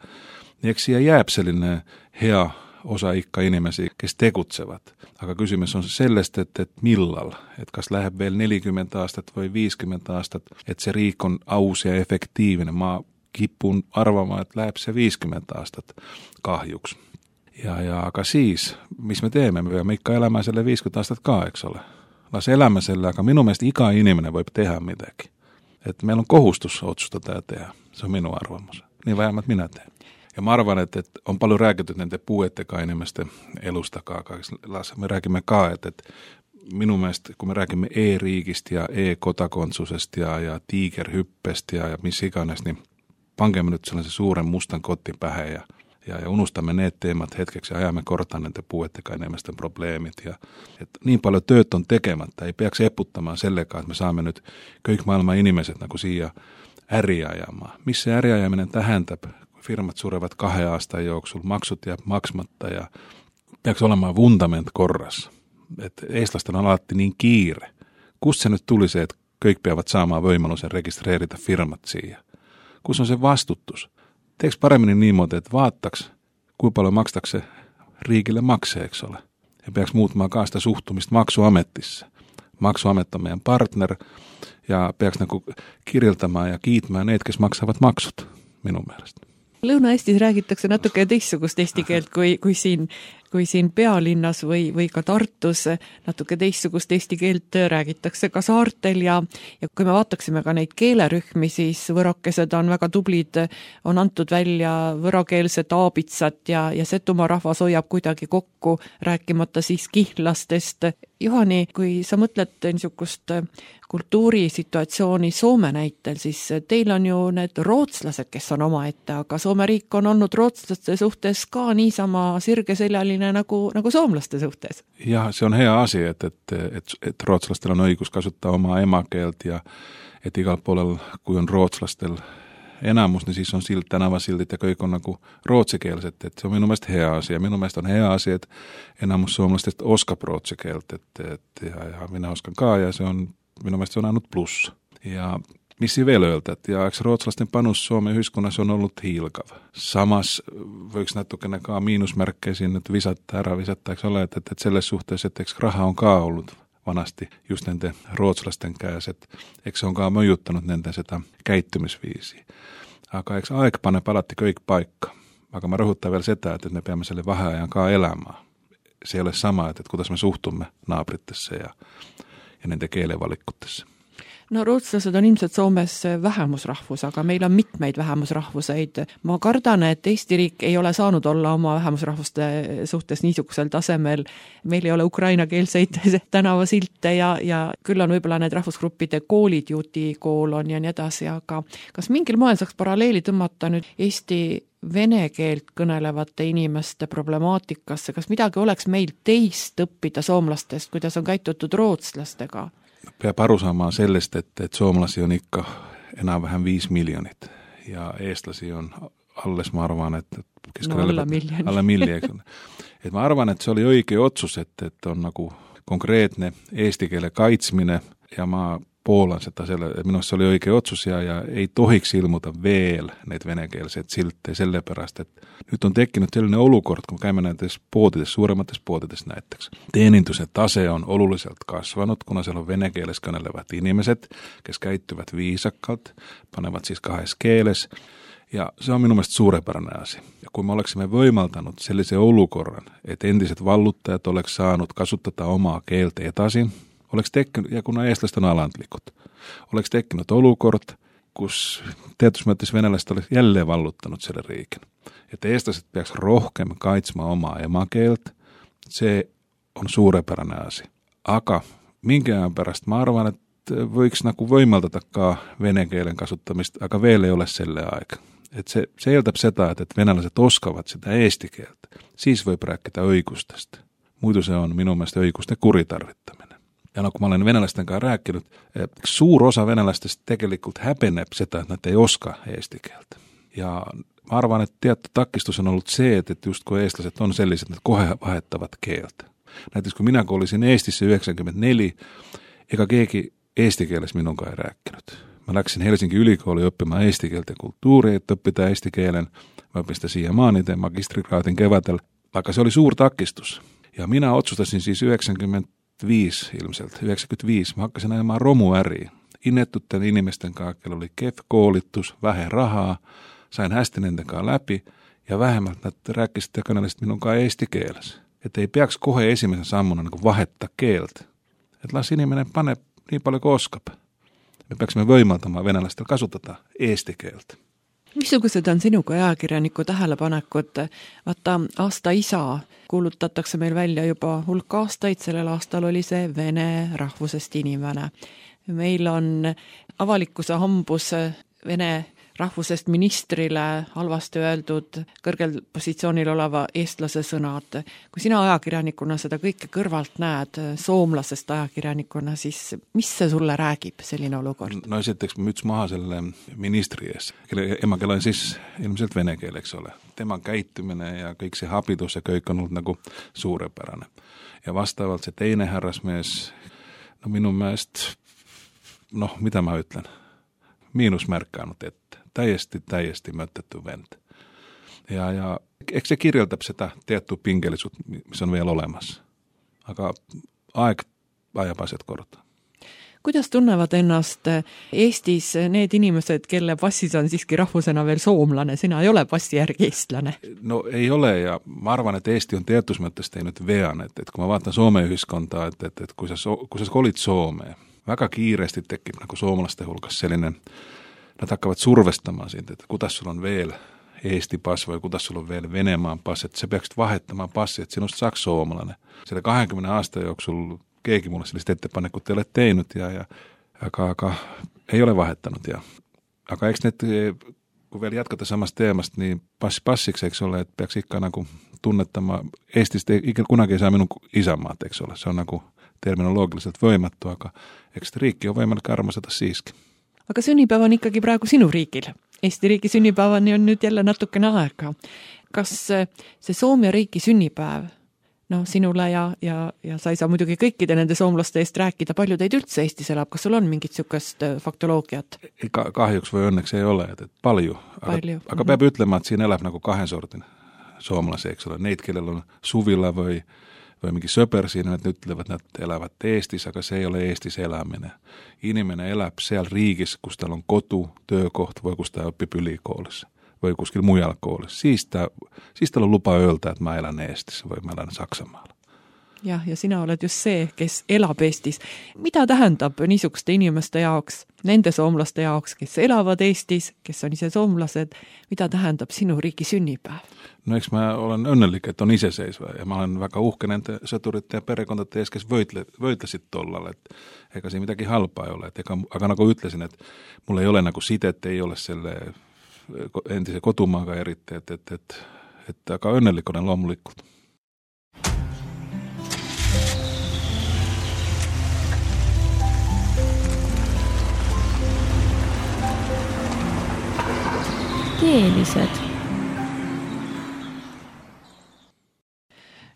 Niin eikö siellä jääb selline hea osa ikka inimesi, kes tegutsevat. Aga kysymys on sellest, että millal, että kas läheb veel 40 aastat või 50 aastat, että se riik on aus ja efektiivinen. Mä kipun arvamaan, että läheb se 50 aastat kahjuks. Aga siis, mis me teeme? Me peame ikka elämään selle 50 aastat ka, eks ole? Las elämme selle, aga minu meelest iga inimene võib teha midagi. Et meil on kohustus otsustada ja teha. Se on minu arvamus. Niin vähemmät minä teen. Ja mä arvan, että on paljon rääkinyt nende puuettekaan inimeste elustakaan. Me rääkimme ka, että minun mielestä, kun me rääkimme e-riikistä ja e-kotakonsuusesta ja tiigerhyppestä ja missä ikänes, niin pankemme nyt sellaisen suuren mustan kottipähän ja unustamme ne teemat hetkeksi ja ajamme kortaan näitä puuettekaan inimesten probleemit. Ja, niin paljon työt on tekemättä, ei peaks eputtamaan sellekaan, että me saamme nyt kõik maailman inimeset nagu siia äriajamaan. Missä äriajaminen tähäntäp? Firmat surevat 2 aastan jooksul, maksut jää maksmatta ja peaks olemaan fundament korras. Että eestlasten on alatti niin kiire. Kust se nyt tuli se, että kõik peavat saamaan võimalusen registreerida firmat siihen? Kus on se vastutus? Teekö paremmin niimoodi, että vaattaks, kuinka paljon makstakse se riikille makseeksi ole? Ja peaks muuttamaan kaasta suhtumista maksuamettissa. Maksuamet on meidän partner ja peaks nagu kirjeltämään ja kiitmään need, kes maksavat maksut, minun mielestä. Lõuna-Eestis räägitakse natuke teistsugust eesti keelt kui siin pealinnas või ka Tartus. Natuke teistsugust eesti keelt räägitakse ka saartel ja kui me vaataksime ka neid keelerühmi, siis võrokesed on väga tublid, on antud välja võrokeelset aabitsat ja Setumaa rahvas hoiab kuidagi kokku, rääkimata siis kihlastest. Juhani, kui sa mõtled niisugust kultuurisituatsiooni Soome näitel, siis teil on ju need rootslased, kes on omaette, aga Soome riik on olnud rootslaste suhtes ka niisama sirgeseljaline nagu soomlaste suhtes. Ja se on hea asia, että rootslastel on õigus kasuttaa omaa emakeelt ja että igal puolella, kui on rootslastel enamus, niin siis on tänavasiltit ja kõik on nagu rootsikieliset, että se on minun mielestä hea asia. Minun mielestä on hea asia, että enamus suomalaisista oskab rootsikieltä, ja minä oskan ka ja se on minun mielestä se on ainut plussa. Ja missi veel öelda, ja eks rootslasten panus Suomen ühiskonnas on ollut hiilgav. Samas võiks natukene ka miinusmärkkejä sinne, että visata, eks ole, että selles suhteessa, että eks raha on ka ollut vanasti just nende rootslasten käes, että eks se on ka mõjuttanut nende seda käittymisviisiä. Aga eks aeg paneb alati kõik paikka. Aga ma rõhutan veel seda, että me peame selle vaheajan ka elämään. Se ei ole sama, että kuidas me suhtumme naabritesse ja nende keelevalikutesse. No rootslased on ilmselt Soomes vähemusrahvus, aga meil on mitmeid vähemusrahvuseid. Ma kardan, et Eesti riik ei ole saanud olla oma vähemusrahvuste suhtes niisugusel tasemel. Meil ei ole ukrainakeelseid tänavasilte ja küll on võib-olla need rahvusgruppide koolid, Juti kool on ja nii edasi, aga kas mingil moel saaks paralleeli tõmmata nüüd Eesti vene keelt kõnelevate inimeste problemaatikasse, kas midagi oleks meil teist õppida soomlastest, kuidas on käitutud rootslastega? Peab aru saama sellest, et soomlasi on ikka enam-vähem 5 miljonit ja eestlasi on alles, ma arvan, et alla miljoni. Alla miljoni. Et ma arvan, et see oli õige otsus, et on nagu konkreetne eesti keele kaitsmine ja ma poolan seda minu see oli õige otsus ja ei tohiks ilmuda veel neid venekeelseid silte sellepärast, et nüüd on tekkinud selline olukord, kui me käime nendes poodides, suuremates poodides näiteks. Teeninduse tase on oluliselt kasvanud, kuna seal on vene keeles kõnelevad inimesed, kes käituvad viisakalt, panevad siis 2 keeles ja see on minu meelest suurepärane asi. Ja kui me oleksime võimaldanud sellise olukorran, et endised vallutajad oleks saanud kasutada oma keelt edasi, oleks tekkinud, ja kuna eestlased on alandlikud, oleks tekkinud olukord, kus teatud mõttes venelased oleks jälle vallutanud selle riigin. Et eestlased peaks rohkem kaitsma oma emakeelt, see on suurepärane asi. Aga mingi aja pärast ma arvan, et võiks nagu võimaldada ka vene keelen kasutamist, aga veel ei ole selle aeg. Et see eeldab seda, et venelased oskavad seda eesti keelt, siis võib rääkida õigustest. Muidu see on minu meelest õiguste kuritarvitamine. Ja nagu ma olen venelastega rääkinud, suur osa venelastest tegelikult häbeneb seda, et nad ei oska eesti keelt. Ja ma arvan, et teatud takistus on olnud see, et justkui eestlased on sellised, nad kohe vahetavad keelt. Näiteks kui mina koolisin Eestisse 94, ega keegi eesti keeles minuga ei rääkinud. Ma läksin Helsingi ülikooli õppima eesti keelt ja kultuuri, et õppida eesti keelen. Ma õppin seda siiamaani, teen magistrikraadin kevadel, aga see oli suur takistus. Ja mina otsustasin siis 95, ma hakkasin ajama romuäri, innetute inimestega, kellel oli kehv koolitus, vähe rahaa, sain hästi nendega läbi ja vähemalt nad rääkisid ja kõnelesid minuga eesti keeles. Et ei peaks kohe esimese sammuna nagu vahetta keelt. Et las inimene paneb nii palju kui oskab. Me peaksime võimaldama venelastel kasutada eesti keelt. Missugused on sinu kui ajakirjaniku tähelepanekud? Vaata, aasta isa kuulutatakse meil välja juba hulk aastaid, sellel aastal oli see vene rahvusest inimene. Meil on avalikkuse hambus vene rahvusest ministrile halvasti öeldud kõrgel positsioonil oleva eestlase sõnad. Kui sina ajakirjanikuna seda kõike kõrvalt näed, soomlasest ajakirjanikuna, siis mis see sulle räägib, selline olukord? No esiteks müts maha selle ministri ees, kelle emakeel on siis ilmselt vene keel, eks ole. Tema käitumine ja kõik see habidus ja kõik on olnud nagu suurepärane. Ja vastavalt see teine härrasmees, no minu meelest, mida ma ütlen? Miinusmärk ainult ette. Täiesti mõttetu vend. Ja eks see kirjeldab seda teatud pingelisut, mis on veel olemas. Aga aeg ajab asjad korda. Kuidas tunnevad ennast Eestis need inimesed, kelle passis on siiski rahvusena veel soomlane? Sina ei ole passi järgi eestlane. No ei ole ja ma arvan, et Eesti on teatud mõttes teinud vean, et kui ma vaatan Soome ühiskonda, et kui sa kolid Soome, väga kiiresti tekib nagu soomlaste hulgas selline. Nad hakkavad survestama sind, et kuidas sul on veel Eesti pass või kuidas sul on veel Venemaa pass, et sa peaksid vahetama passi, et sinust saaks soomlane. Selle 20 aasta jooksul keegi mulle sellist ettepanekut ei ole teinud, aga ei ole vahetanud. Aga eks need, kui veel jätkata samast teemast, nii passiks, eks ole, et peaks ikka nagu tunnetama, Eestist kunagi ei saa minu isamaad, eks ole, see on nagu terminoloogiliselt võimatu, aga eks riiki on võimalik armastada siiski. Aga sünnipäev on ikkagi praegu sinu riigil. Eesti riigi sünnipäevani on nüüd jälle natukene aega. Kas see Soome riigi sünnipäev, sinule ja sa ei saa muidugi kõikide nende soomlaste eest rääkida, palju teid üldse Eestis elab, kas sul on mingit sükast faktoloogiat? Kahjuks või õnneks ei ole, et palju. Aga peab ütlema, et siin elab nagu kahesordine soomlasi, eks ole, neid, kellel on suvila või mingi sõber siin, nad ütlevad, nad elavad Eestis, aga see ei ole Eestis elamine. Inimene elab seal riigis, kus tal on kodu, töökoht või kus ta õpib ülikoolis või kuskil mujal koolis. Siis tal on luba öelda, et ma elan Eestis või ma elan Saksamaal. Jah, ja sina oled just see, kes elab Eestis. Mida tähendab niisuguste inimeste jaoks, nende soomlaste jaoks, kes elavad Eestis, kes on ise soomlased, mida tähendab sinu riigi sünnipäev? No eks ma olen õnnelik, et on iseseisva ja ma olen väga uhke nende sõdurite ja perekondade ees, kes võitlesid tollal, et ega siin midagi halba ei ole, aga nagu ütlesin, et mul ei ole nagu sidet, ei ole selle endise kodumaaga eriti, et aga õnnelik olen loomulikult. Keelised.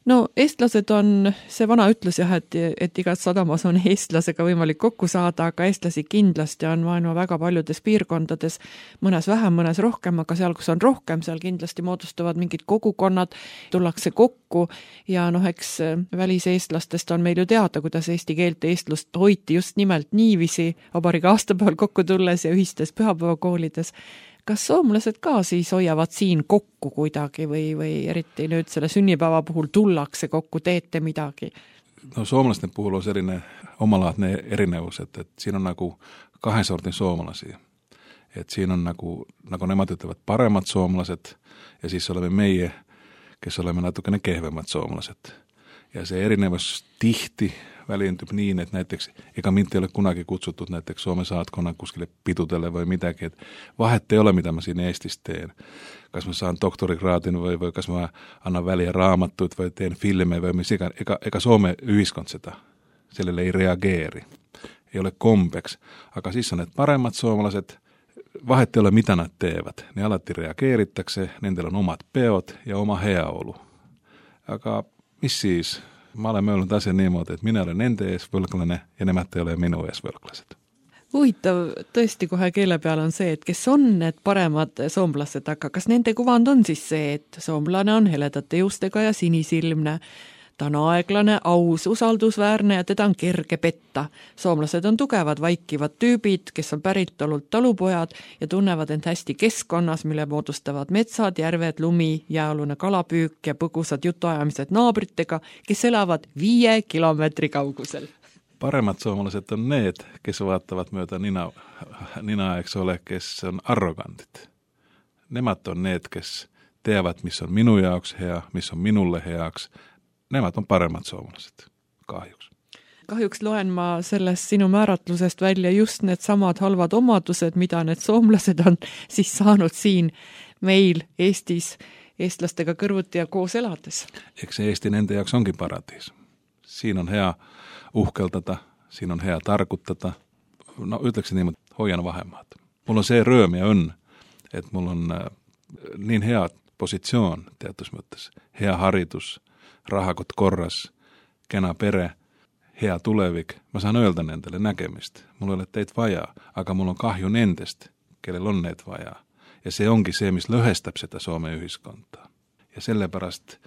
No eestlased on, see vana ütlus jah, et igas sadamas on eestlasega võimalik kokku saada, aga eestlasi kindlasti on maailma väga paljudes piirkondades, mõnes vähem, mõnes rohkem, aga seal, kus on rohkem, seal kindlasti moodustuvad mingid kogukonnad, tullakse kokku ja eks väliseestlastest on meil ju teada, kuidas eesti keelt ja eestlust hoiti just nimelt niiviisi vabariigi aastapäeval kokku tulles ja ühistes pühapäevakoolides. Kas soomlased ka siis hoiavad siin kokku kuidagi või eriti nüüd selle sünnipäeva puhul tullakse kokku, teete midagi? No soomlaste puhul on selline omalaadne erinevus, et siin on nagu kahe sortin soomlasi. Et siin on nagu nemad ütlevad paremad soomlased ja siis oleme meie, kes oleme natukene kehvemad soomlased. Ja see erinevus tihti väljendub nii, et näiteks ega mind ei ole kunagi kutsutud näiteks Soome saatkonna kuskile pidudele või midagi, et vahet ei ole, mida ma siin Eestis teen. Kas ma saan doktorikraadin või kas ma annan välja raamatut või teen filme või mis ega Soome ühiskond seda, sellele ei reageeri. Ei ole kombeks, aga siis on need paremad soomlased, vahet ei ole, mida nad teevad. Ne alati reageeritakse, nendel on omad peod ja oma heaolu. Aga mis siis? Ma olen öelnud asia niimoodi, et mina olen nende ees võlglane ja nemad ei ole minu ees võlglased. Huvitav, tõesti kohe keele peal on see, et kes on need paremad soomlased, aga kas nende kuvand on siis see, et soomlane on heledate juustega ja sinisilmne, ta on aeglane, aus, usaldusväärne ja teda on kerge petta. Soomlased on tugevad, vaikivad tüübid, kes on päritolult talupojad ja tunnevad end hästi keskkonnas, mille moodustavad metsad, järved, lumi, jääalune kalapüük ja põgusad jutuajamised naabritega, kes elavad 5 kilomeetri kaugusel. Paremad soomlased on need, kes vaatavad mööda nina, eks ole, kes on arrogandid. Nemad on need, kes teavad, mis on minu jaoks hea, mis on minulle heaks. Nemad on paremad soomlased, kahjuks. Kahjuks loen ma sellest sinu määratlusest välja just need samad halvad omadused, mida need soomlased on siis saanud siin meil Eestis eestlastega kõrvuti ja koos elades. Eks Eesti nende jaoks ongi paradiis. Siin on hea uhkeldada, siin on hea targutada. No ütleksin niimoodi, hoian vahemaad. Mul on see rõõm ja õnn, et mul on niin hea positsioon teatud mõttes, hea haridus, rahakott korras, kena pere, hea tulevik. Ma saan öelda nendele nägemist. Mul ei ole teid vaja, aga mul on kahju nendest, kellel on need vaja. Ja see ongi see, mis lõhestab seda Soome ühiskonda. Ja sellepärast,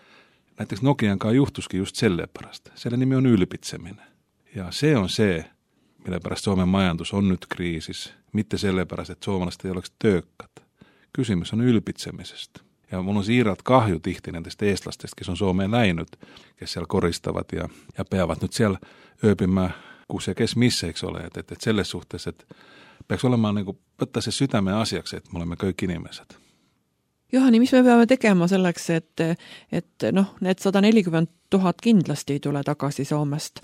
näiteks Nokiankaan juhtuski just sellepärast. Selle nimi on ülbitsemine. Ja see on see, mille pärast Soome majandus on nüüd kriisis, mitte sellepärast, et soomlased ei oleks töökad. Kysymys on ülbitsemisest. Ja mul on siiralt kahju tihti nendest eestlastest, kes on Suomeen läinud, kes seal koristavat ja peavad nüüd seal ööpimä kus ja kes missä, eks ole, et selles suhtes, et peaks olema nagu võtta see südame asiaks, et me oleme kõik inimesed. Johani, mis me peame tegema selleks, et need 140 000 kindlasti ei tule tagasi Soomest?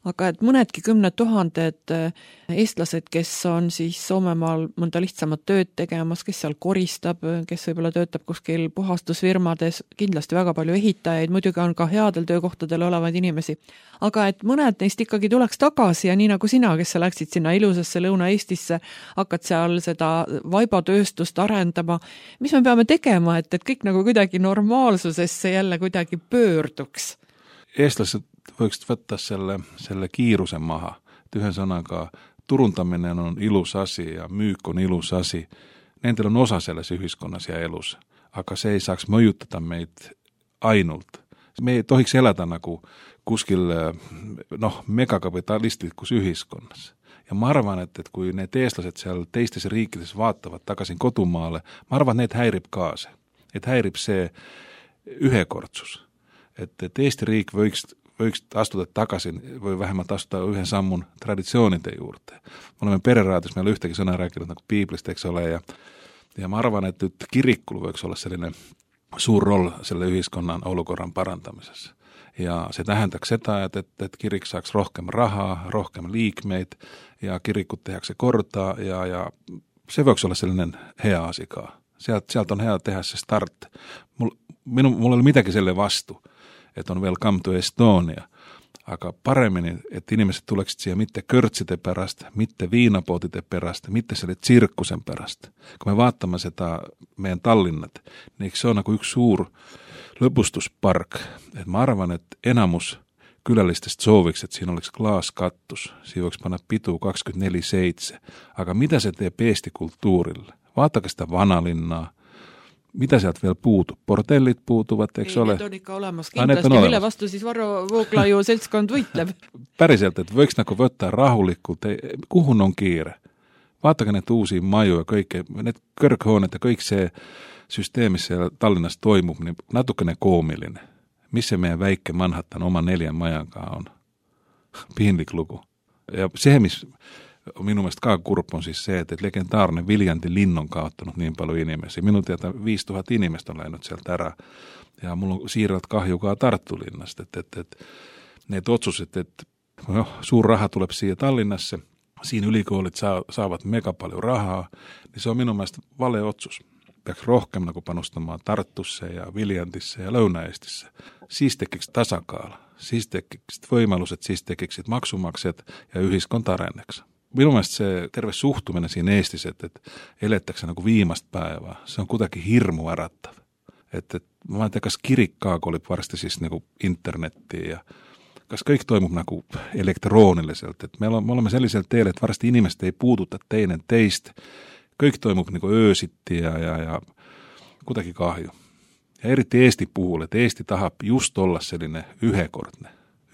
Aga et mõnedki 10 000 eestlased, kes on siis Soomemaal mõnda lihtsamat tööd tegemas, kes seal koristab, kes võib-olla töötab kuskil puhastusfirmades, kindlasti väga palju ehitajaid, muidugi on ka headel töökohtadel olevaid inimesi. Aga et mõned neist ikkagi tuleks tagasi ja nii nagu sina, kes sa läksid sinna ilusasse Lõuna-Eestisse, hakkad seal seda vaibatööstust arendama. Mis me peame tegema, et kõik nagu kuidagi normaalsusesse jälle kuidagi pöörduks? Eestlased võiks võtta selle kiiruse maha. Ühesõnaga, turundamine on ilus asi ja müük on ilus asi. Nendel on osa selles ühiskonnas ja elus, aga see ei saaks mõjutada meid ainult. Me ei tohiks elada nagu kuskil megakapitalistlikus ühiskonnas. Ja ma arvan, et kui need eestlased seal teistes riikides vaatavad tagasi kodumaale, ma arvan, et need häirib kaasa. Et häirib see ühekordsus. Et Eesti riik võiks võiks astuda takaisin või vähemalt astuda yhden sammun traditsioonide juurde. Me oleme pereraadios, meillä on yhtäkin sõna rääkinud nagu piiblist, eks ole, ja ma arvan, et nyt kirikul võiks olla selline suur roll selle ühiskonnan olukorran parandamisessa. Ja se tähendaks seda, et kirik saaks rohkem rahaa, rohkem liikmeid ja kirikut tehakse korda ja se võiks olla sellainen hea asi ka. Sieltä on hea tehdä se start. Mulla oli mitäkin selle vastu, että on Welcome to Estonia, aga paremmin, että ihmiset tuleksid siihen mitte körtside pärast, mitte viinapootide pärast, mitte selle tsirkusen pärast. Kun me vaatamme sitä meidän Tallinnat, niin eikö se on nagu yksi suur lõbustuspark. Et ma arvan, että enamus kylällistest sooviks, että siinä olisi klaaskattus. Siinä voisi panna pituu 24/7. Aga mitä se teeb Eesti kulttuurille? Vaatake sitä vanalinnaa. Mitä sieltä vielä puutuu? Portellit puutuvat, eikö ole? Need on ikka olemas kindlasti, mille vastu siis Varro Vooglaiu seltskond võitleb. Päriselt, että võiks nagu võtta rahulikult, kuhun on kiire? Vaatake need uusia maju ja kõik, need kõrghooned ja kõik see systeemi siellä Tallinnassa toimub, niin natukene koomillinen. Missä meidän väikke Manhattan oma 4 majankaan on? Piinlik luku. Ja se, missä minun mielestä kurppu on siis se, että legendaarinen Viljantin linnon on kaottanut niin paljon inimisiä. Minun tietää 5000 inimistä on läinyt sieltä ära. Ja mulla on siirrät kahjukaa Tarttulinnasta. Ne otsus, että suur raha tulee siihen Tallinnassa, siinä ylikoulit saavat mega paljon rahaa, niin se on minun mielestä valeotsus. Peaks rohkem nagu panostamaan Tartussa ja Viljantissa ja Lõuna-Eestissä. Siis tekiksid tasakaala, siis tekiksid võimalused, siis tekiksid maksumaksjad ja ühiskond areneks. Minun mielestä se terve suhtuminen siinä Eestis, että elettäksä nagu viimast päivää, se on kuitenkin hirmu ärattav. Että mä en tiedä, kas kirikkaako oli varasti siis nagu internettiin ja kas kõik toimub nagu elektrooniliselt. Et me olemme sellisellä teellä, että varasti inimeset ei puututa teinen teistä. Kõik toimub niinku öösitti ja kuitenkin kahju. Ja eriti Eesti puhul, että Eesti tahab just olla sellainen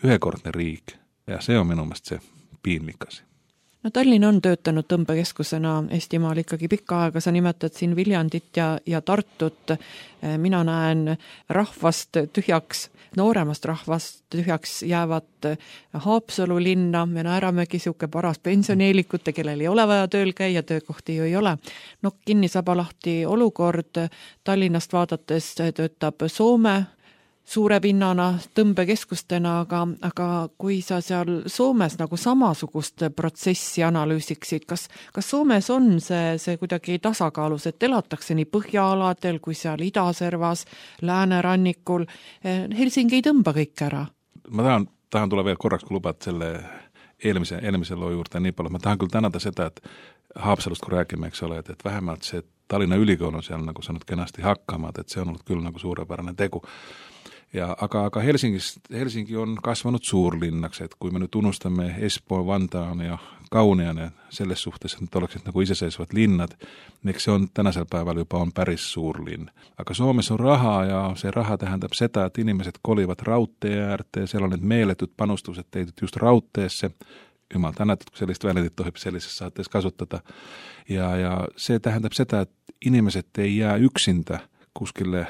ühekortne riik. Ja se on minun mielestä se piinlik asi. No Tallinn on töötanud tõmbekeskusena Eestimaal ikkagi pikka aega, sa nimetad siin Viljandit ja Tartut. Mina näen rahvast tühjaks, nooremast rahvast tühjaks jäävat Haapsalu linna, me naeramegi siuke paras pensionieelikute, kellel ei ole vaja tööl käia, töökohti ju ei ole. Nokk kinni, saba lahti olukord. Tallinnast vaadates töötab Soome suure pinnana tõmbekeskustena, aga kui sa seal Soomes nagu samasugust protsessi analüüsiksid, kas Soomes on see kuidagi tasakaalus, et elatakse nii põhjaaladel kui seal idaservas, läänerannikul, Helsingi ei tõmba kõik ära? Ma tahan tulla veel korraks, kui lubad selle eelmise loo juurde nii paljon. Ma tahan küll tänada seda, et Haapsalust kun räägime, eks ole, et vähemalt see Tallinna ülikool on seal nagu saanud kenasti hakkama, et see on olnud küll nagu suurepärane tegu. Aga Helsingi on kasvanut suurlinnaks, että kui me nyt tunnustamme Espoo, Vantaan ja Kaunian ja selles suhteessa, että oleksid nagu iseseisvat linnad, niin se on tänäisellä päivällä jopa on päris suurlinn. Aga Suomessa on rahaa ja se raha tähendab seda, että ihmiset kolivat rautteen äärteen, siellä on need meeletud panustukset tehty just rautteesse. Jumal tänatud, kun sellist välitit tohib sellisessä saatteessa kasutada. Ja se tähendab seda, että ihmiset ei jää yksintä kuskille,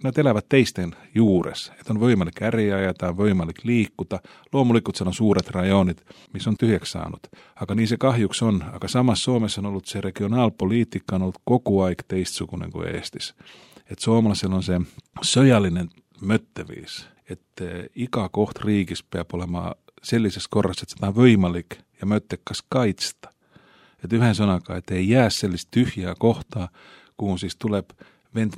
nad elävät teisten juures, että on võimalik äri ajada, on võimalik liikuda. Loomulikult seal on suuret rajoonid, mis on tyhjäksi saanut. Aga nii see kahjuks on. Aga samas Suomessa on ollut se regionaalpolitiikka on ollut kogu aik teistsukunen kuin Eestis. Että suomalaisella on se sõjalinen mötteviis, että iga koht riigis peab olema sellises korras, että sitä on võimalik ja möttekas kaitsta. Että yhden sõnaga, että ei jää sellist tyhjää kohtaa, kuhun siis tuleb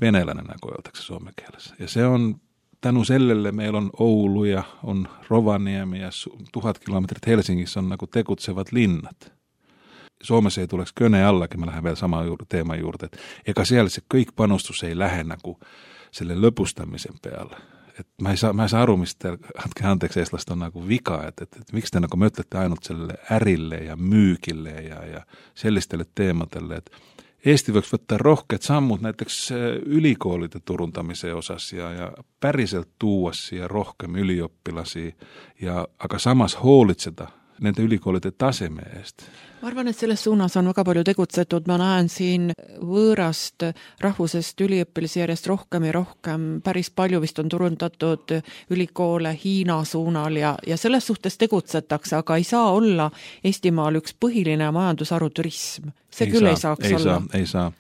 venäläinen nagu öeldakse suomen kielessä. Ja se on, tänu sellelle meillä on Oulu ja on Rovaniemi ja 1000 kilometrit Helsingissä on nagu tegutsevat linnat. Suomessa ei tuleks köne allakin, mä lähden vielä samaan teeman juurde, että eikä siellä se kõik panustus ei lähde nagu selle lõpustamisen peale. Et mä ei saa aru, mistä anteeksi eestlasta on nagu vika, että miksi te nagu mötlette ainult sellele ärille ja müykille ja sellistelle teematelle, että Eesti võiks võtta rohkeat sammud näiteks ülikoolide turuntamise osas ja päriselt tuua siia rohkem ylioppilasi, aga samas hoolitseda nende ülikoolide taseme eest. Ma arvan, et selles suunas on väga palju tegutsetud, ma näen siin võõrast rahvusest üliõpilasi järjest rohkem ja rohkem, päris palju vist on turundatud ülikoole Hiina suunal ja selles suhtes tegutsetakse, aga ei saa olla Eestimaal üks põhiline majandusharu turism. See küll ei saaks olla. Ei saa.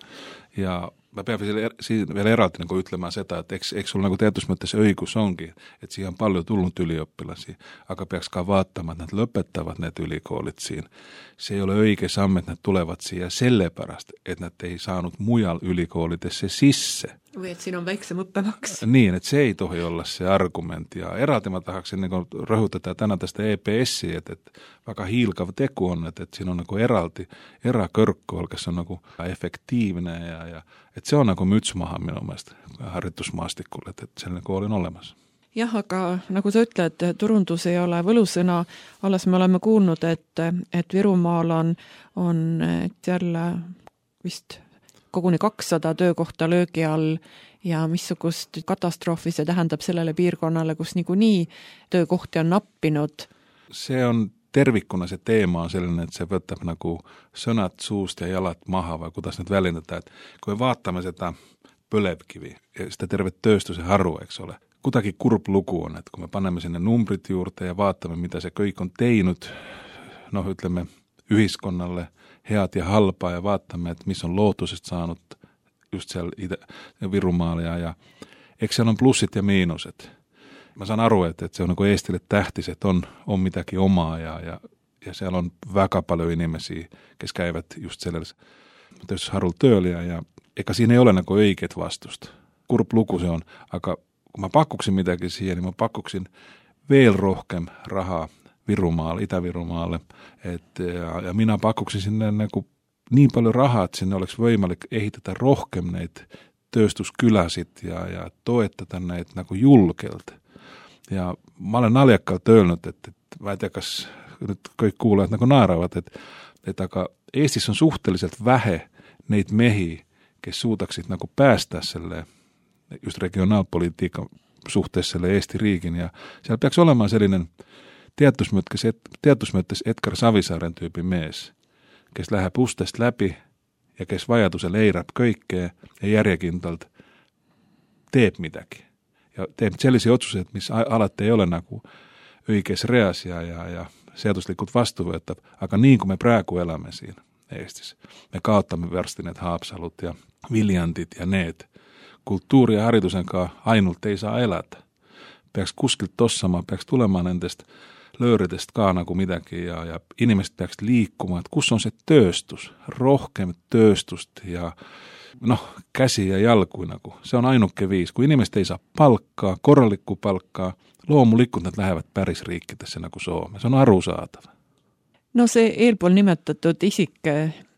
Ja ma pean siin veel eraldi nagu ütlema seda, et eks sul nagu teatud mõttes õigus ongi, et siia on palju tulnud üliõpilasi, aga peaks ka vaatama, et nad lõpetavad need ülikoolid siin. See ei ole õige samm, et nad tulevad siia sellepärast, et nad ei saanud mujal ülikoolidesse sisse. Või et siin on väiksem õppemaks. Nii, et see ei tohi olla see argument ja eraldi ma tahaksin nagu rõhutada täna tästä EPS-i, et väga hiilgav teku on, et siin on nagu eraldi erakõrgkool, kes on nagu efektiivne ja et see on nagu müts maha minu meelest harjutusmaastikul, et selline kool on olemas. Jah, aga nagu sa ütled, turundus ei ole võlusõna, alles me oleme kuulnud, et Virumaal on jälle vist koguni 200 töökohta löögi all ja missugust katastroofi see tähendab sellele piirkonnale, kus niikuinii töökohti on nappinud. See on tervikuna see teema on selline, et see võtab nagu sõnad suust ja jalad maha või kuidas nüüd väljendada, et kui vaatame seda põlevkivi ja seda tervet tööstuse haru, eks ole, kuidagi kurb lugu on, et kui me paneme sinne numbrid juurde ja vaatame, mida see kõik on teinud, ütleme, ühiskonnale head ja halba ja vaatame, et mis on lootusest saanud just seal Virumaal ja eks seal on plussid ja miinused. Ma saan aru, et see on nagu Eestile tähtis, et on midagi oma ja seal on väga palju inimesi, kes käivad just selles tööstusharul tööl ja ega siin ei ole nagu õiget vastust. Kurb lugu see on, aga kui ma pakuksin midagi siia, niin ma pakuksin veel rohkem raha Virumaale, Ida-Virumaale, ja mina pakuksin sinne nagu nii palju raha, et sinne oleks võimalik ehitada rohkem neid tööstuskülasid ja toetada neid nagu julgelt. Ja ma olen naljakalt öelnud, et ma ei tea, kas nüüd kõik kuulajad nagu naeravad, et aga Eestis on suhteliselt vähe neid mehi, kes suudaksid nagu päästa selle just regionaalpoliitika suhtes selle Eesti riigin ja seal peaks olema selline teatud mõttes Edgar Savisaaren tüüpi mees, kes läheb ustest läbi ja kes vajadusel eirab kõike ja järjekindlalt teeb midagi. Ja teeb sellise otsused, mis alati ei ole nagu õiges reas ja seaduslikult vastuvõetav, aga nii kui me praegu elame siin Eestis, me kaotame varsti need Haapsalud ja Viljandid ja need. Kultuuri ja haridusega ainult ei saa elada. Peaks kuskilt tossama, peaks tulema nendest lööridest ka nagu midagi ja inimesed peaks liikuma, et kus on see tööstus, rohkem tööstust ja käsi ja jalgu nagu. See on ainuke viis, kui inimesed ei saa palka, korralikku palka, loomulikult nad lähevad päris riikidesse nagu Soome, see on arusaadav. No see eelpool nimetatud isik,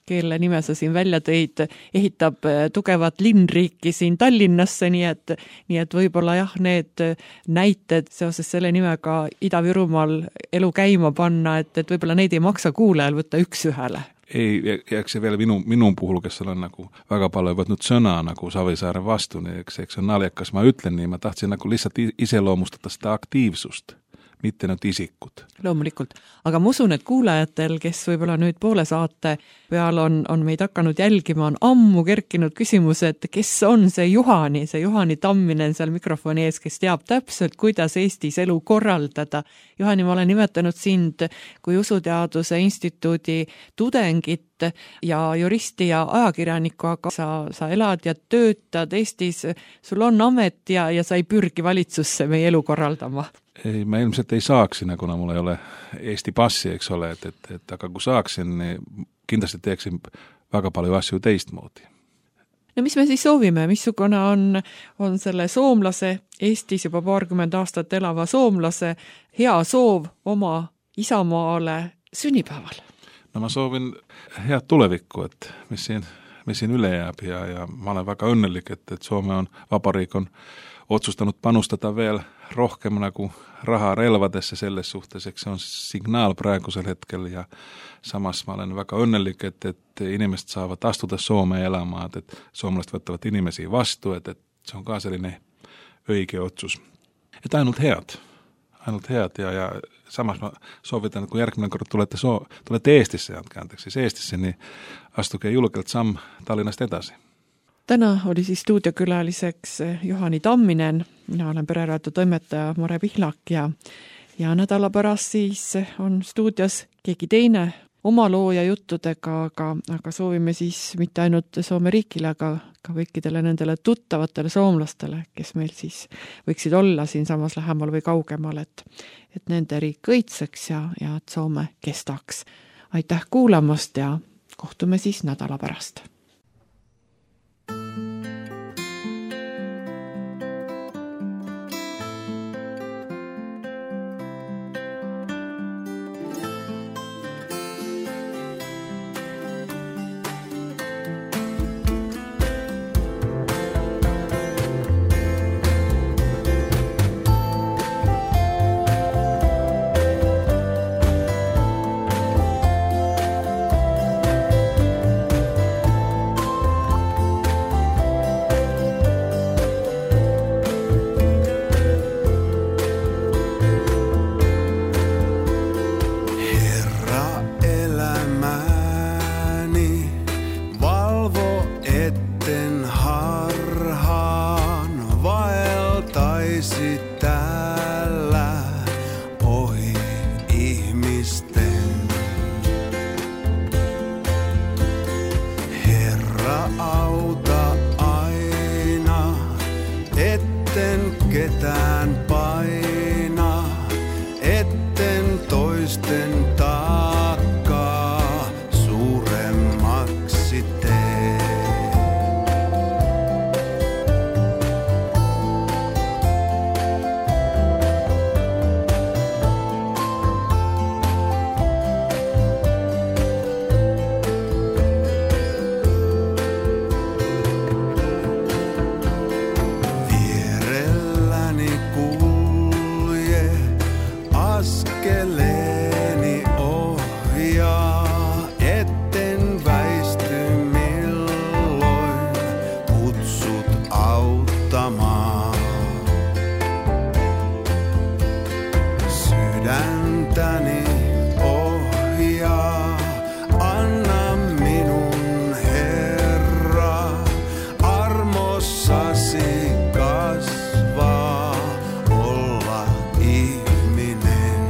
kelle nime sa siin välja tõid, ehitab tugevat linnriiki siin Tallinnasse, nii et võib-olla jah, need näited seoses selle nimega Ida-Virumaal elu käima panna, et võib-olla neid ei maksa kuulajal võtta üks ühele. Ei, eks see veel minu puhul, kes olen nagu väga palju võtnud sõna nagu Savisaaren vastu, eks on naljakas, ma ütlen nii, ma tahtsin nagu lihtsalt iseloomustada seda aktiivsust, mitte need isikud. Loomulikult. Aga ma usun, et kuulajatel, kes võib-olla nüüd poole saate peal on meid hakanud jälgima, on ammu kerkinud küsimus, et kes on see Juhani Tamminen seal mikrofoni ees, kes teab täpselt, kuidas Eestis elu korraldada. Juhani, ma olen nimetanud sind kui Usuteaduse Instituudi tudengit ja juristi ja ajakirjanikku, aga sa elad ja töötad Eestis, sul on amet ja sa ei pürgi valitsusse meie elu korraldama. Ei, ma ilmselt ei saaksin, kuna mul ei ole Eesti passi, eks ole, et aga kui saaksin, niin kindlasti teeksin väga palju asju teistmoodi. No mis me siis soovime? Missugune on selle soomlase, Eestis juba 20 aastat elava soomlase hea soov oma isamaale sünnipäeval? No ma soovin head tulevikku, et mis siin üle jääb ja ma olen väga õnnelik, et Soome vabariik on otsustanud panustada veel rohkem nagu raha relvadesse selles suhtes, eks see on signaal praegusel hetkel ja samas ma olen väga õnnelik, et inimesed saavad astuda Soome elama, et soomlased võtavad inimesi vastu, et see on ka selline õige otsus. Et ainult ainult head ja samas ma soovitan, et kui järgmine kord tulete Eestisse, siis Eestisse, nii astuge julgelt samm Tallinnast edasi. Täna oli siis stuudiokülaliseks Juhani Tamminen, mina olen pereradio toimetaja Mare Pihlak ja nädala pärast siis on stuudios keegi teine oma loo ja juttudega, aga soovime siis mitte ainult Soome riigile, aga ka kõikidele nendele tuttavatele soomlastele, kes meil siis võiksid olla siin samas lähemal või kaugemal, et nende riik õitseks ja et Soome kestaks. Aitäh kuulamast ja kohtume siis nädala pärast. Ketään paina, etten toisten taakkaa suuremmaksi tee. Askeleeni ohjaa, etten väisty milloin kutsut auttamaan. Sydäntäni ohjaa, anna minun Herra, armossasi kasvaa olla ihminen.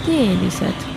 Keeliset.